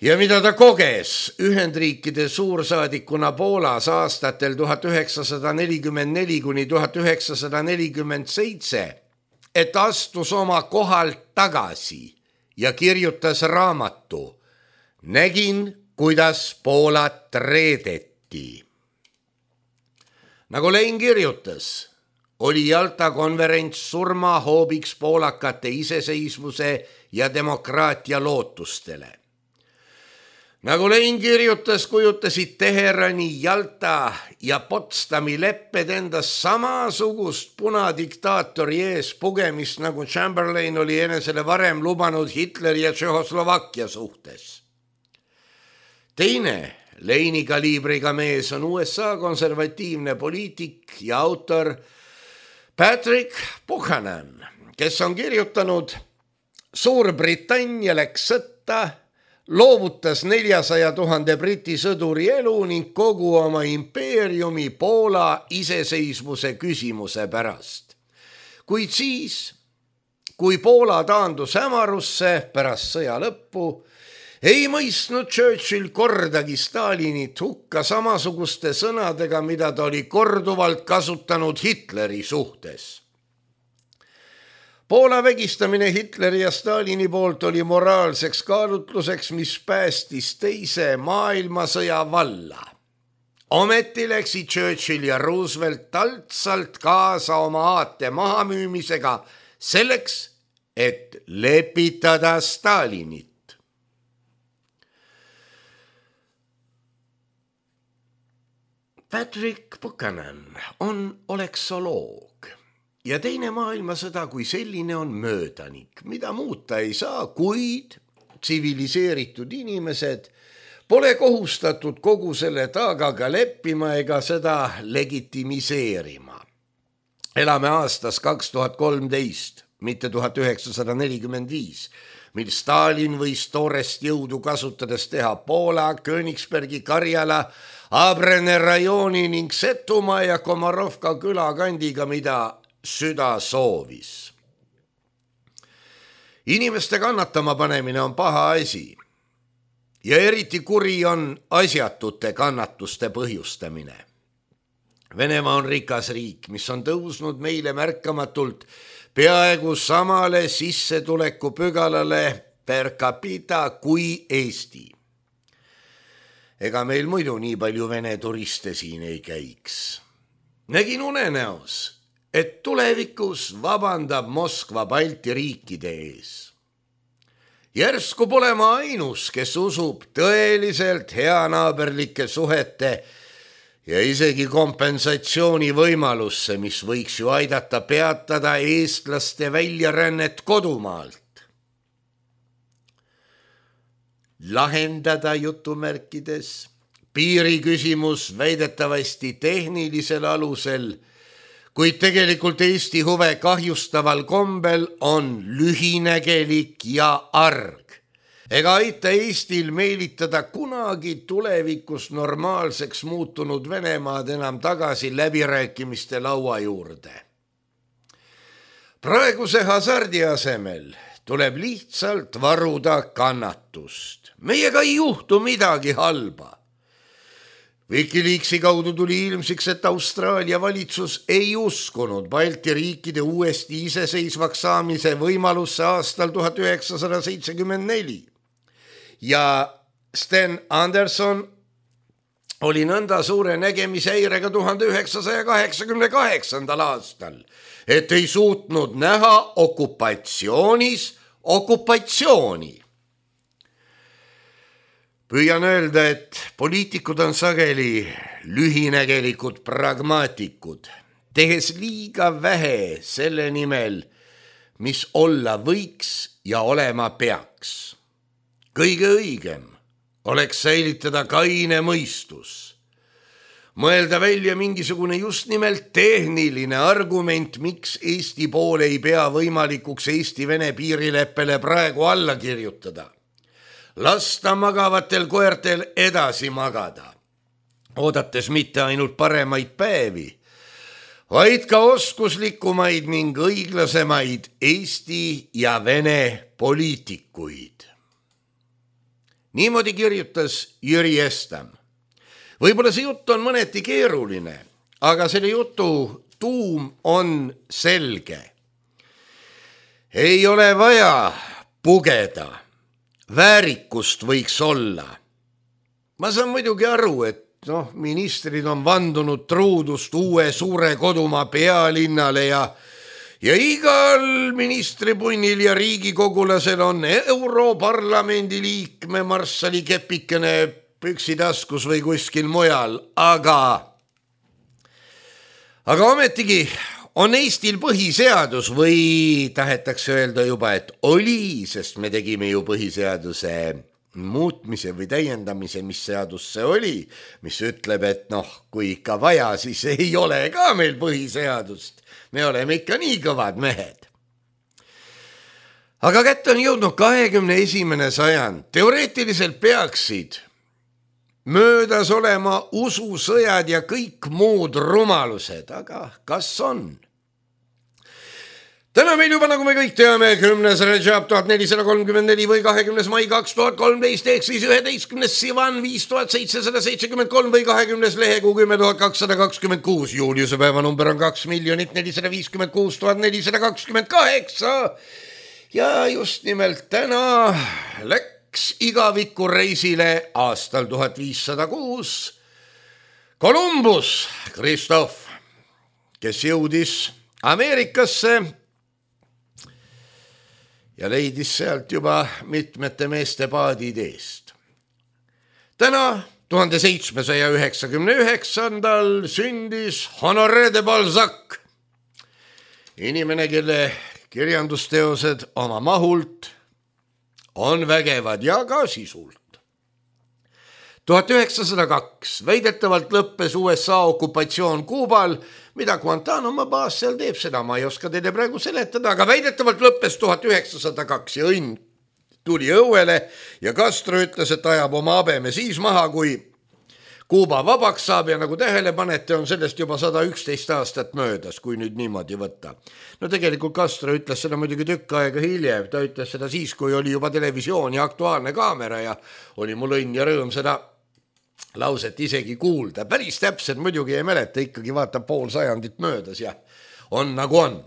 ja mida ta koges Ühendriikide suursaadikuna Poolas aastatel tuhat üheksasada nelikümmend neli kuni tuhat üheksasada nelikümmend seitse, et astus oma kohalt tagasi ja kirjutas raamatu Nägin, kuidas Poolat reedeti. Nagu Lein kirjutas, oli Jalta konverents surmahoobiks poolakate iseseisvuse ja demokraatia lootustele. Nagu Lein kirjutas, kujutasid Teherani, Jalta ja Potsdami lepped endas samasugust punadiktaatori ees pugemist, nagu Chamberlain oli enesele varem lubanud Hitleri ja Tšehhoslovakkia suhtes. Teine Leini kaliibriga mees on U S A konservatiivne poliitik ja autor Patrick Buchanan, kes on kirjutanud: Suurbritannia läks sõtta, loovutas neljasaja tuhande briti sõduri elu ning kogu oma impeeriumi Poola iseseisvuse küsimuse pärast. Kuid siis, kui Poola taandus hämarusse pärast sõja lõppu, ei mõistnud Churchill kordagi Stalinit hukka samasuguste sõnadega, mida ta oli korduvalt kasutanud Hitleri suhtes. Poola vägistamine Hitleri ja Stalini poolt oli moraalseks kaalutluseks, mis päästis teise maailmasõja valla. Ometi läksid Churchill ja Roosevelt taltsalt kaasa oma aate mahamüümisega selleks, et lepitada Stalinit. Patrick Buchanan on oleksoloog ja teine maailmasõda kui selline on möödanik, mida muuta ei saa, kuid tsiviliseeritud inimesed pole kohustatud kogu selle taagaga leppima ega seda legitimiseerima. Elame aastas kaks tuhat kolmteist, mitte tuhat üheksasada nelikümmend viis, mil Stalin võis toorest jõudu kasutades teha Poola, Königsbergi, Karjala, Abrene rajooni ning Setumaa ja Komarovka külakandiga, mida süda soovis. Inimeste kannatama panemine on paha asi ja eriti kuri on asjatute kannatuste põhjustamine. Venemaa on rikas riik, mis on tõusnud meile märkamatult peaaegu samale sissetuleku pügalale per capita kui Eesti. Ega meil muidu nii palju vene turiste siin ei käiks. Nägin unenäos, et tulevikus vabandab Moskva Balti riikide ees. Järsku pole ma ainus, kes usub tõeliselt heanaaberlike suhete ja isegi kompensatsiooni võimalusse, mis võiks ju aidata peatada eestlaste väljarännet kodumaalt. Lahendada jutumärkides piiriküsimus väidetavasti tehnilisel alusel, kuid tegelikult Eesti huve kahjustaval kombel on lühinägelik ja arg. Ega aita Eestil meelitada kunagi tulevikus normaalseks muutunud Venemaad enam tagasi läbirääkimiste laua juurde. Praeguse hasardi asemel tuleb lihtsalt varuda kannatust. Meiega ei juhtu midagi halba. Wikileaksi kaudu tuli ilmsiks, et Austraalia valitsus ei uskunud Balti riikide uuesti iseseisvaks saamise võimalusse aastal tuhat üheksasada seitsekümmend neli. Ja Sten Anderson oli nõnda suure nägemishäirega tuhande üheksasaja kaheksakümne kaheksandal aastal, et ei suutnud näha okupatsioonis okupatsiooni. Püüan öelda, et poliitikud on sageli lühinägelikud pragmaatikud, tehes liiga vähe selle nimel, mis olla võiks ja olema peaks. Kõige õigem oleks säilitada kaine mõistus. Mõelda välja mingisugune just nimelt tehniline argument, miks Eesti pool ei pea võimalikuks Eesti-Vene piirileppele praegu alla kirjutada. Lasta magavatel koertel edasi magada, oodates mitte ainult paremaid päevi, vaid ka oskuslikumaid ning õiglasemaid Eesti ja Vene poliitikuid. Niimoodi kirjutas Jüri Estam. Võib-olla see jutt on mõneti keeruline, aga selle jutu tuum on selge. Ei ole vaja pugeda. Väärikust võiks olla. Ma saan muidugi aru, et noh, ministrid on vandunud truudust uue suure kodumaa pealinnale ja, ja igal ministripunnil ja riigikogulasel on Europarlamendi liikme marssali kepikene püksitaskus või kuskil mujal, aga, aga ometigi on Eestil põhiseadus või tahetakse öelda juba, et oli, sest me tegime ju põhiseaduse muutmise või täiendamise, mis seadus see oli, mis ütleb, et noh, kui ikka vaja, siis ei ole ka meil põhiseadust. Me oleme ikka nii kõvad mehed. Aga kätte on jõudnud kahekümne esimene sajand. Teoreetiliselt peaksid möödas olema ususõjad ja kõik muud rumalused, aga kas on? täna meil juba, nagu me kõik teame, kümnes Rajab tuhat nelisada kolmkümmend neli või kahekümnes mai kaks tuhat kolmteist ehk siis üheteistkümnes Sivan viis tuhat seitsesada seitsekümmend kolm või kahekümnes lehekuu kümme tuhat kakssada kakskümmend kuus. Juuliuse päevanumber on kaks miljonit nelisada viiskümmend kuus tuhat nelisada kakskümmend kaheksa. Ja just nimelt täna läks igaviku reisile aastal tuhat viissada kuus Columbus Christoph, kes jõudis Ameerikasse ja leidis sealt juba mitmete meeste paadid eest. Täna tuhande seitsmesaja üheksakümne üheksandal sündis Honoré de Balzac, inimene, kelle kirjandusteosed oma mahult on vägevad ja ka sisult. tuhat üheksasada kaks väidetavalt lõppes U S A okupatsioon Kuubal, mida Guantanamo baas seal teeb, seda ma ei oska teile praegu seletada, aga väidetavalt lõppes tuhat üheksasada kaks ja õnn tuli õuele ja Castro ütles, et ajab oma habeme siis maha, kui Kuuba vabaks saab ja nagu tähele panete, on sellest juba sada üksteist aastat möödas, kui nüüd niimoodi võtta. No tegelikult Castro ütles seda muidugi tükk aega hiljem, ta ütles seda siis, kui oli juba televisioon ja Aktuaalne kaamera ja oli mul õnn ja rõõm seda lauset isegi kuulda. Päris täpselt muidugi ei mäleta, ikkagi vaatab pool sajandit möödas ja on nagu on.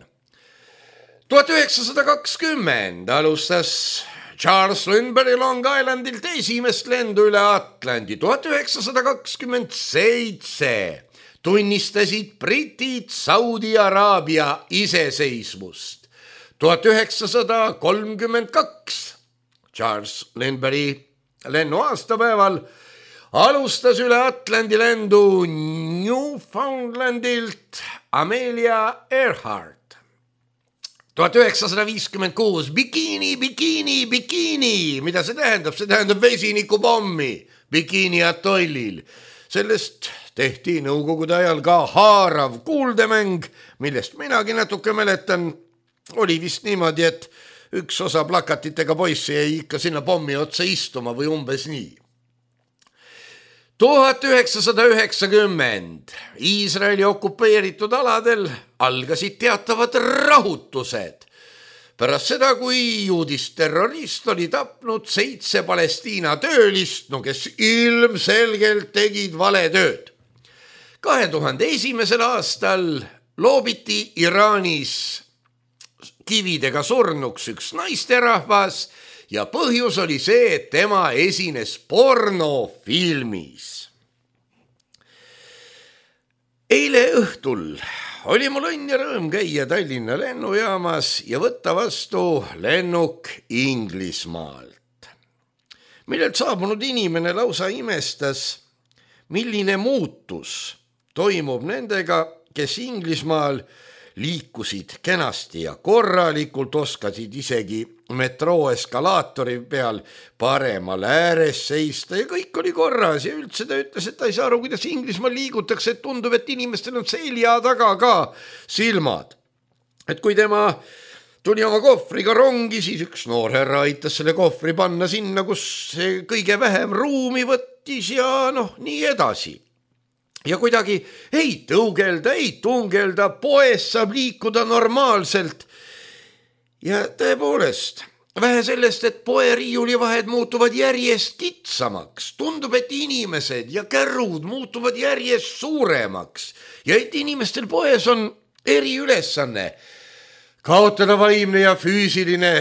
tuhat üheksasada kakskümmend alustas Charles Lindbergh Long Islandilt esimest lendu üle Atlandi. tuhat üheksasada kakskümmend seitse tunnistasid britid Saudi Araabia iseseisvust. tuhat üheksasada kolmkümmend kaks Charles Lindberghi lennu aastapäeval alustas üle Atlandi lendu Newfoundlandilt Amelia Earhart. tuhat üheksasada viiskümmend kuus Bikini, bikini, bikini. Mida see tähendab? See tähendab vesinikupommi Bikini atollil. Sellest tehti nõukogude ajal ka haarav kuuldemäng, millest minagi natuke mäletan. Oli vist niimoodi, et üks osa plakatitega poissi jäi ikka sinna pommi otsa istuma või umbes nii. tuhat üheksasada üheksakümmend Iisraeli okupeeritud aladel algasid teatavad rahutused pärast seda, kui juudist terrorist oli tapnud seitse Palestiina töölist, no kes ilmselgelt tegid valetööd. kahe tuhande esimesel aastal loobiti Iraanis kividega surnuks üks naisterahvas ja põhjus oli see, et tema esines pornofilmis. Eile õhtul oli mul õnn ja rõõm käia Tallinna lennujaamas ja võtta vastu lennuk Inglismaalt, millelt saabunud inimene lausa imestas, milline muutus toimub nendega, kes Inglismaal liikusid kenasti ja korralikult, oskasid isegi metroo eskalaatori peal paremal ääres seista ja kõik oli korras ja üldse ta ütles, et ta ei saa aru, kuidas Inglismaal liigutakse, et tundub, et inimestel on selja taga ka silmad. Et kui tema tuli oma kohvriga rongi, siis üks noor härra aitas selle kohvri panna sinna, kus see kõige vähem ruumi võttis ja noh, nii edasi. Ja kuidagi ei tõugelda, ei tungelda, poes saab liikuda normaalselt. Ja tõepoolest, vähe sellest, et poe riiulivahed muutuvad järjest kitsamaks, tundub, et inimesed ja kärrud muutuvad järjest suuremaks ja et inimestel poes on eriülesanne kaotada vaimne ja füüsiline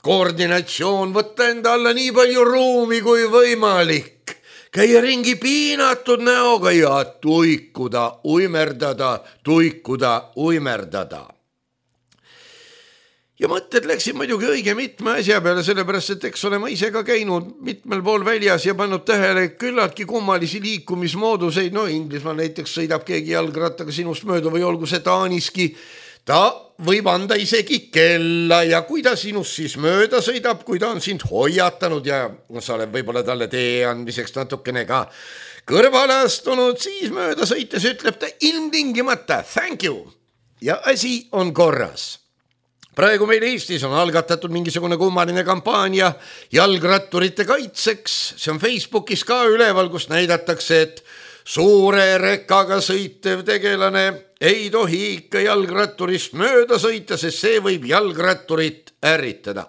koordinatsioon, võtta enda alla nii palju ruumi kui võimalik, käia ringi piinatud näoga ja tuikuda, uimerdada, tuikuda, uimerdada. Ja mõtted läksid muidugi õige mitme asja peale, sellepärast, et eks ole ma ise ka käinud mitmel pool väljas ja pannud tähele küllaltki kummalisi liikumismooduseid. No Inglismaal näiteks sõidab keegi jalgrattaga sinust mööda või olgu see Taaniski. Ta võib anda isegi kella ja kui ta sinust siis mööda sõidab, kui ta on sind hoiatanud ja sa oled võib-olla talle tee andmiseks natukene ka kõrvale astunud, siis mööda sõites ütleb ta ilmtingimata thank you ja asi on korras. Praegu meil Eestis on algatatud mingisugune kummaline kampaania jalgratturite kaitseks. See on Facebookis ka üleval, kus näidatakse, et suure rekkaga sõitev tegelane ei tohi ikka jalgratturist mööda sõita, sest see võib jalgratturit ärritada.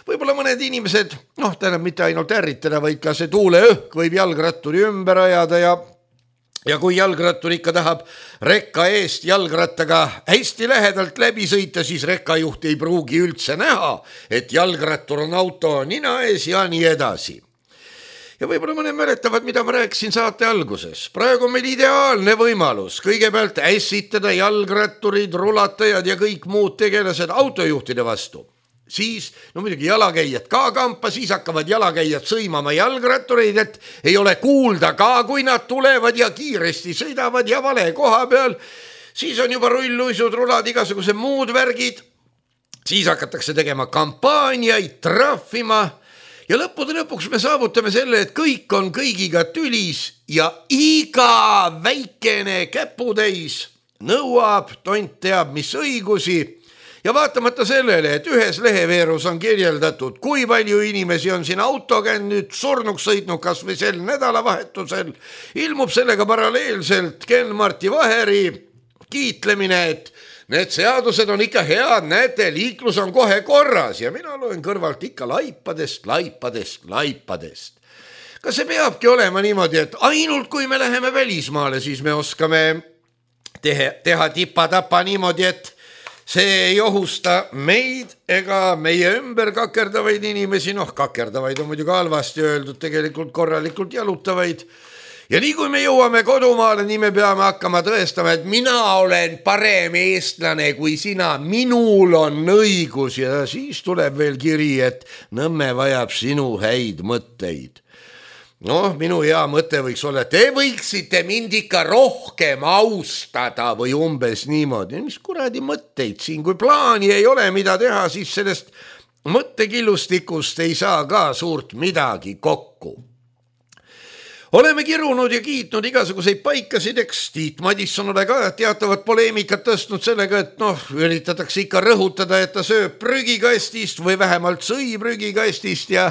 Võib-olla mõned inimesed, noh, tähendab mitte ainult ärritada, vaid ka see tuuleõhk võib jalgratturi ümber ajada ja ja kui jalgrattur ikka tahab rekka eest jalgrattaga hästi lähedalt läbi sõita, siis rekkajuht ei pruugi üldse näha, et jalgrattur on auto nina ees ja nii edasi. Ja võib-olla mõned mäletavad, mida ma rääkisin saate alguses. Praegu on meil ideaalne võimalus kõigepealt ässitada jalgratturid, rulatajad ja kõik muud tegelased autojuhtide vastu. Siis, no muidugi jalakäijad ka kampa, siis hakkavad jalakäijad sõimama jalgrattureid, et ei ole kuulda ka, kui nad tulevad ja kiiresti sõidavad ja vale koha peal. Siis on juba rulluisud, rulad, igasugused muud värgid. Siis hakatakse tegema kampaaniaid, trahvima ja lõppude lõpuks me saavutame selle, et kõik on kõigiga tülis ja iga väikene käputäis nõuab tont teab mis õigusi. Ja vaatamata sellele, et ühes leheveerus on kirjeldatud, kui palju inimesi on siin autoga nüüd surnuks sõitnud kas või sel nädalavahetusel, ilmub sellega paralleelselt Ken-Marti Vaheri kiitlemine, et need seadused on ikka head, näete, liiklus on kohe korras ja mina loen kõrvalt ikka laipadest, laipadest, laipadest. Kas see peabki olema niimoodi, et ainult kui me läheme välismaale, siis me oskame teha, teha tipa-tapa niimoodi, et see ei ohusta meid ega meie ümber kakerdavaid inimesi, noh kakerdavaid on muidugi halvasti öeldud, tegelikult korralikult jalutavaid. Ja nii kui me jõuame kodumaale, nii me peame hakkama tõestama, et mina olen parem eestlane kui sina, minul on õigus ja siis tuleb veel kiri, et Nõmme vajab sinu häid mõtteid. Noh, minu hea mõte võiks olla, et te võiksite mind ikka rohkem austada või umbes niimoodi. Mis kuradi mõtteid siin, kui plaani ei ole mida teha, siis sellest mõttekillustikust ei saa ka suurt midagi kokku. Oleme kirunud ja kiitnud igasuguseid paikasid, eks Tiit Madisson ole ka teatavat poleemikat tõstnud sellega, et noh, üritatakse ikka rõhutada, et ta sööb prügikastist või vähemalt sõi prügikastist ja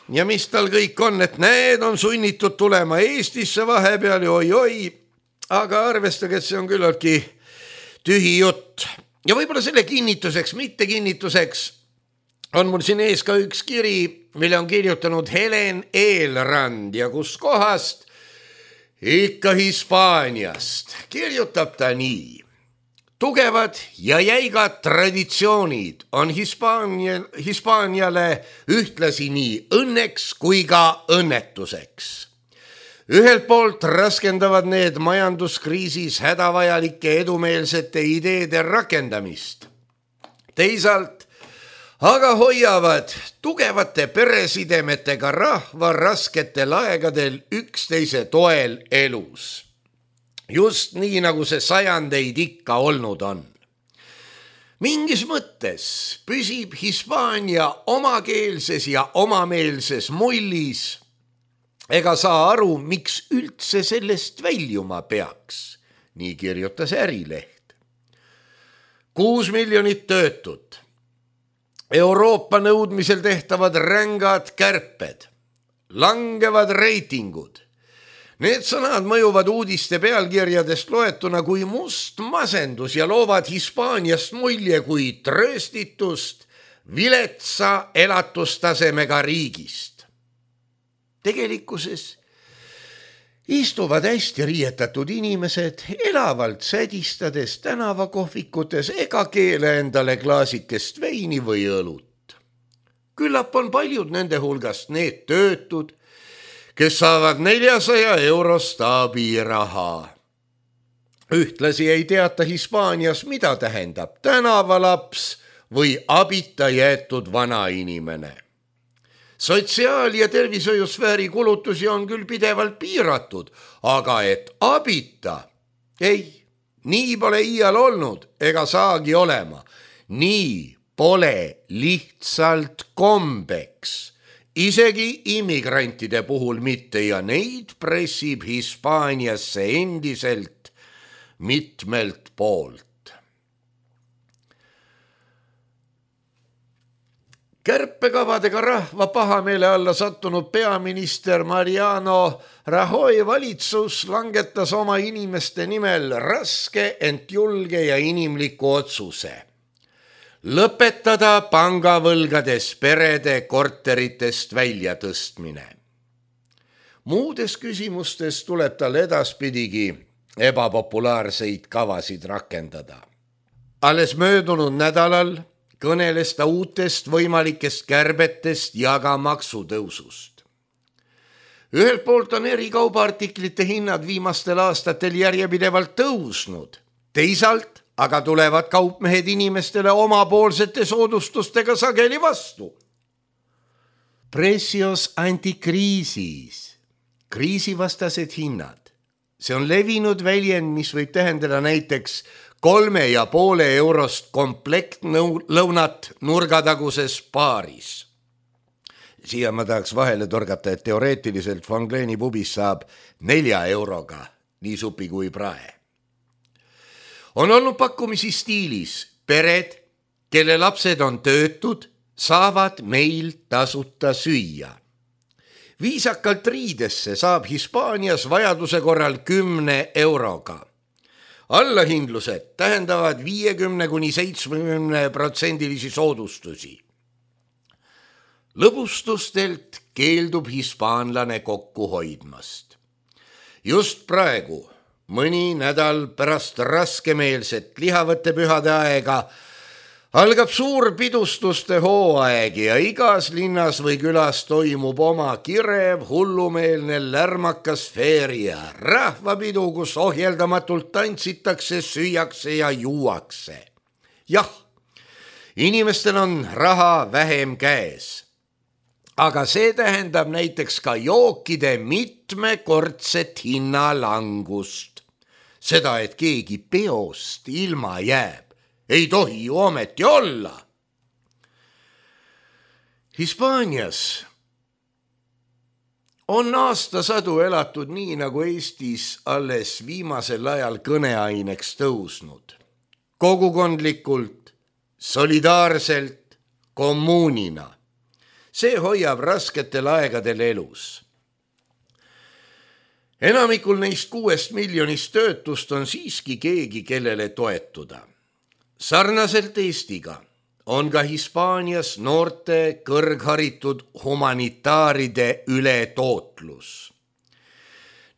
Ja mis tal kõik on, et need on sunnitud tulema Eestisse vahepeal ja oi-oi, aga arvestage, et see on küllaltki tühi jutt. Ja võib-olla selle kinnituseks, mitte kinnituseks on mul siin ees ka üks kiri, mille on kirjutanud Helen Eelrand ja kus kohast? Ikka Hispaaniast. Kirjutab ta nii. Tugevad ja jäigad traditsioonid on Hispaania, Hispaaniale ühtlasi nii õnneks kui ka õnnetuseks. Ühelt poolt raskendavad need majanduskriisis hädavajalike edumeelsete ideede rakendamist. Teisalt aga hoiavad tugevate peresidemetega rahva rasketel aegadel üksteise toel elus. Just nii, nagu see sajandeid ikka olnud on. Mingis mõttes püsib Hispaania omakeelses ja omameelses mullis ega saa aru, miks üldse sellest väljuma peaks. Nii kirjutas Ärileht. Kuus miljonit töötut. Euroopa nõudmisel tehtavad rängad kärped. Langevad reitingud. Need sõnad mõjuvad uudiste pealkirjadest loetuna kui must masendus ja loovad Hispaaniast mulje kui trööstitust viletsa elatustasemega riigist. Tegelikkuses istuvad hästi riietatud inimesed elavalt sädistades tänavakohvikutes ega keele endale klaasikest veini või õlut. Küllap on paljud nende hulgast need töötud, kes saavad neljasaja eurost abiraha. Ühtlasi ei teata Hispaanias, mida tähendab tänavalaps või abita jäetud vanainimene. Sotsiaal- ja tervishoiusfääri kulutusi on küll pidevalt piiratud, aga et abita, ei, nii pole iial olnud ega saagi olema. Nii pole lihtsalt kombeks. Isegi immigrantide puhul mitte ja neid pressib Hispaaniasse endiselt mitmelt poolt. Kärpekavadega rahva pahameele alla sattunud peaminister Mariano Rajoy valitsus langetas oma inimeste nimel raske, ent julge ja inimliku otsuse. Lõpetada pangavõlgades perede korteritest välja tõstmine. Muudes küsimustes tuleb tal edaspidigi ebapopulaarseid kavasid rakendada. Alles möödunud nädalal kõneles ta uutest võimalikest kärbetest ja ka maksutõusust. Ühelt poolt on eri kaubaartiklite hinnad viimastel aastatel järjepidevalt tõusnud, teisalt aga tulevad kaupmehed inimestele omapoolsete soodustustega sageli vastu. Precios antikriisis, kriisivastased hinnad. See on levinud väljend, mis võib tähendada näiteks kolme ja poole eurost komplekt lõunat nurgataguses baaris. Siia ma tahaks vahele torgata, et teoreetiliselt Fangleeni pubis saab nelja euroga nii supi kui prae. On olnud pakkumisi stiilis. Pered, kelle lapsed on töötud, saavad meil tasuta süüa. Viisakalt riidesse saab Hispaanias vajaduse korral kümne euroga. Allahindlused tähendavad viiekümne kuni seitsmekümne protsendilisi soodustusi. Lõbustustelt keeldub hispaanlane kokku hoidmast. Just praegu, mõni nädal pärast raskemeelset lihavõtte pühade aega, algab suur pidustuste hooaeg ja igas linnas või külas toimub oma kirev, hullumeelne, lärmakas feeria, rahvapidu, kus ohjeldamatult tantsitakse, süüakse ja juuakse. Jah, inimestel on raha vähem käes, aga see tähendab näiteks ka jookide mitmekordset hinnalangust. Seda, et keegi peost ilma jääb, ei tohi ju ometi olla. Hispaanias on aastasadu elatud nii, nagu Eestis alles viimasel ajal kõneaineks tõusnud. Kogukondlikult, solidaarselt, kommuunina. See hoiab rasketel aegadel elus. Enamikul neist kuuest miljonist töötust on siiski keegi, kellele toetuda. Sarnaselt Eestiga on ka Hispaanias noorte kõrgharitud humanitaaride ületootlus.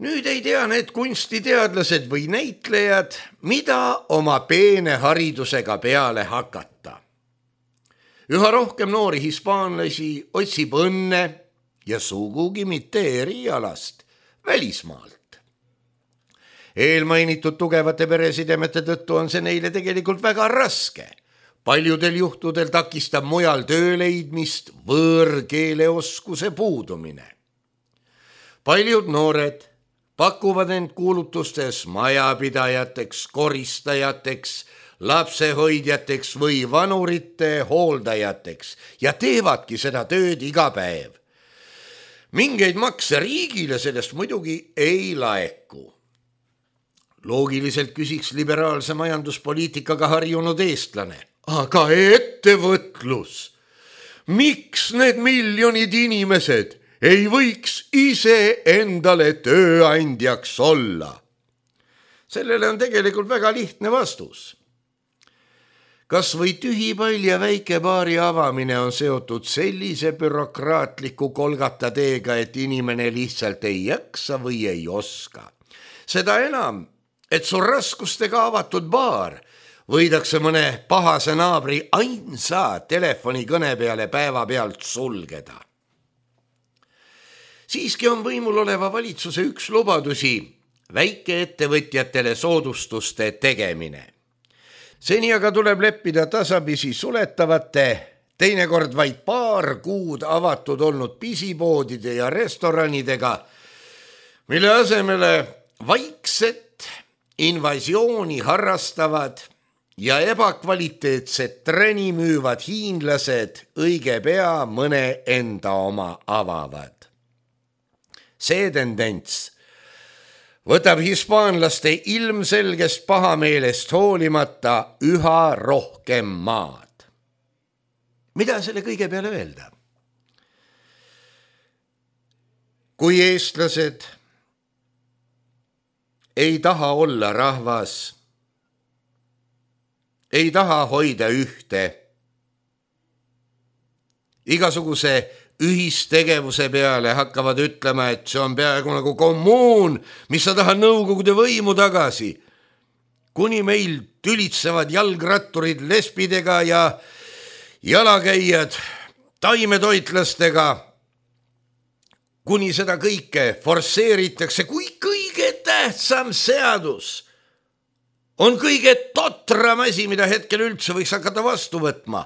Nüüd ei tea need kunstiteadlased või näitlejad, mida oma peene haridusega peale hakata. Üha rohkem noori hispaanlasi otsib õnne ja sugugi mitte erialast välismaalt. Eelmainitud tugevate peresidemete tõttu on see neile tegelikult väga raske. Paljudel juhtudel takistab mujal töö leidmist võõrkeeleoskuse puudumine. Paljud noored pakuvad end kuulutustes majapidajateks, koristajateks, lapsehoidjateks või vanurite hooldajateks ja teevadki seda tööd iga päev. Mingeid makse riigile sellest muidugi ei laeku. Loogiliselt küsiks liberaalse majanduspoliitikaga harjunud eestlane. Aga ettevõtlus, miks need miljonid inimesed ei võiks ise endale tööandjaks olla? Sellele on tegelikult väga lihtne vastus. Kas või tühipall ja väikebaari avamine on seotud sellise bürokraatliku kolgata teega, et inimene lihtsalt ei jaksa või ei oska. Seda enam, et su raskustega avatud baar võidakse mõne pahase naabri ainsa telefonikõne peale päeva pealt sulgeda. Siiski on võimul oleva valitsuse üks lubadusi väikeettevõtjatele soodustuste tegemine. Seni aga tuleb leppida tasapisi suletavate, teinekord vaid paar kuud avatud olnud pisipoodide ja restoranidega, mille asemele vaikset invasiooni harrastavad ja ebakvaliteetset treni müüvad hiinlased õige pea mõne enda oma avavad. See tendents võtab hispaanlaste ilmselgest pahameelest hoolimata üha rohkem maad. mida selle kõige peale öelda? Kui eestlased ei taha olla rahvas, ei taha hoida ühte, igasuguse ühistegevuse peale hakkavad ütlema, et see on peaaegu nagu kommuun, mis sa tahad nõukogude võimu tagasi, kuni meil tülitsevad jalgratturid lesbidega ja jalakäijad taimetoitlastega, kuni seda kõike forsseeritakse, kui kõige tähtsam seadus on kõige totram asi, mida hetkel üldse võiks hakata vastu võtma.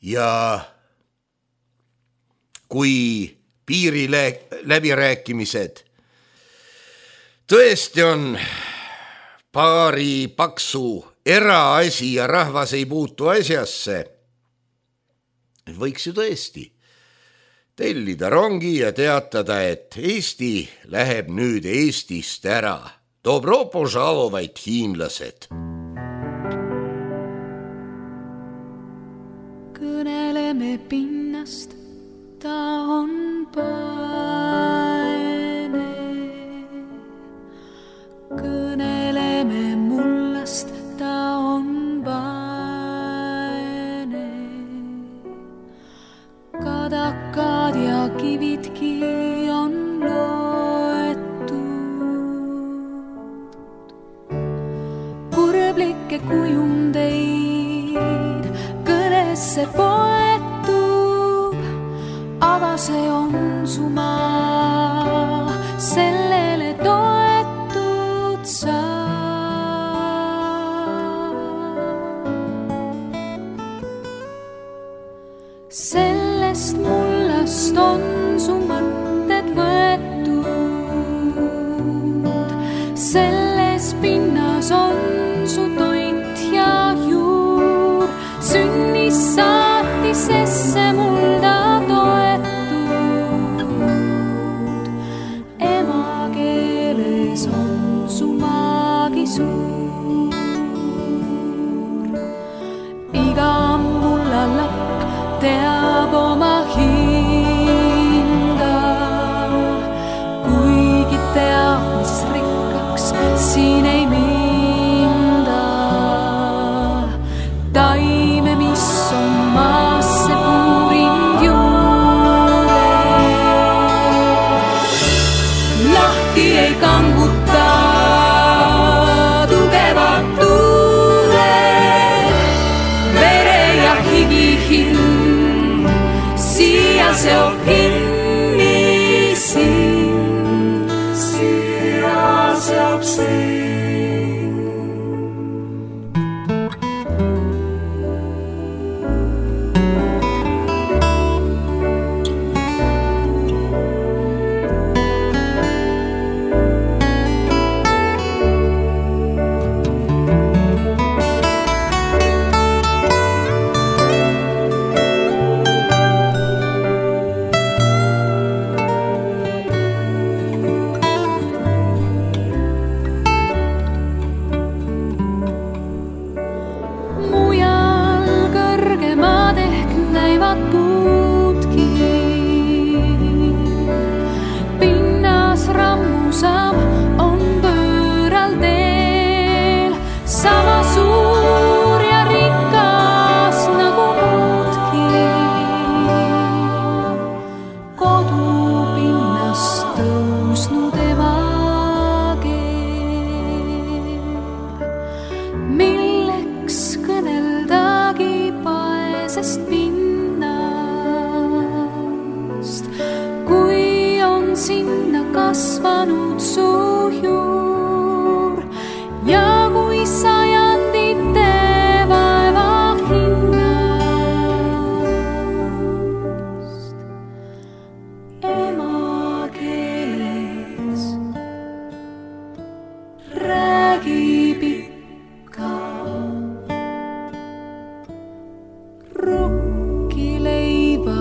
Ja kui piiri läbirääkimised tõesti on paari paksu eraasi ja rahvas ei puutu asjasse, võiks ju tõesti tellida rongi ja teatada, et Eesti läheb nüüd Eestist ära. Dobro požalovaid hiinlased. Kõneleme pinnast, ta on paene. Kõneleme mullast, ta on paene. Kadakad ja kividki on loetud. Kurblikke kujundeid kõnesse poetub, aga see on su maa, sellele toetud sa. Sellest mullast on su mõtted võetud, selles pinnas on su toit ja juur, sünnis saatisesse mulda toetud. Emakeeles on su maagi suur, iga mulla lapp teab oma hinda, kuigi teab, mis rikkaks siin ei minda. Taime, mis on maasse puurind juure, lahti ei kanguta tugevad tuuled, vere ja higi hind siia seob kinni sind, siia seob sind. Kasvanud su juur ja kui sajandite vaeva hinnast emakeeles räägib ikka rukkileiba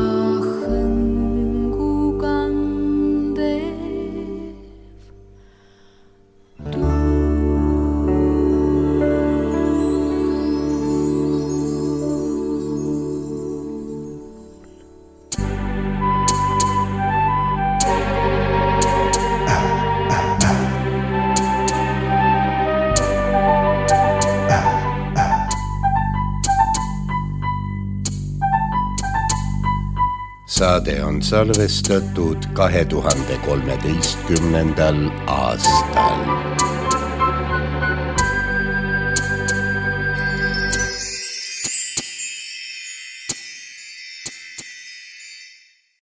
saade on salvestatud kahe tuhande kolmeteistkümnendal aastal.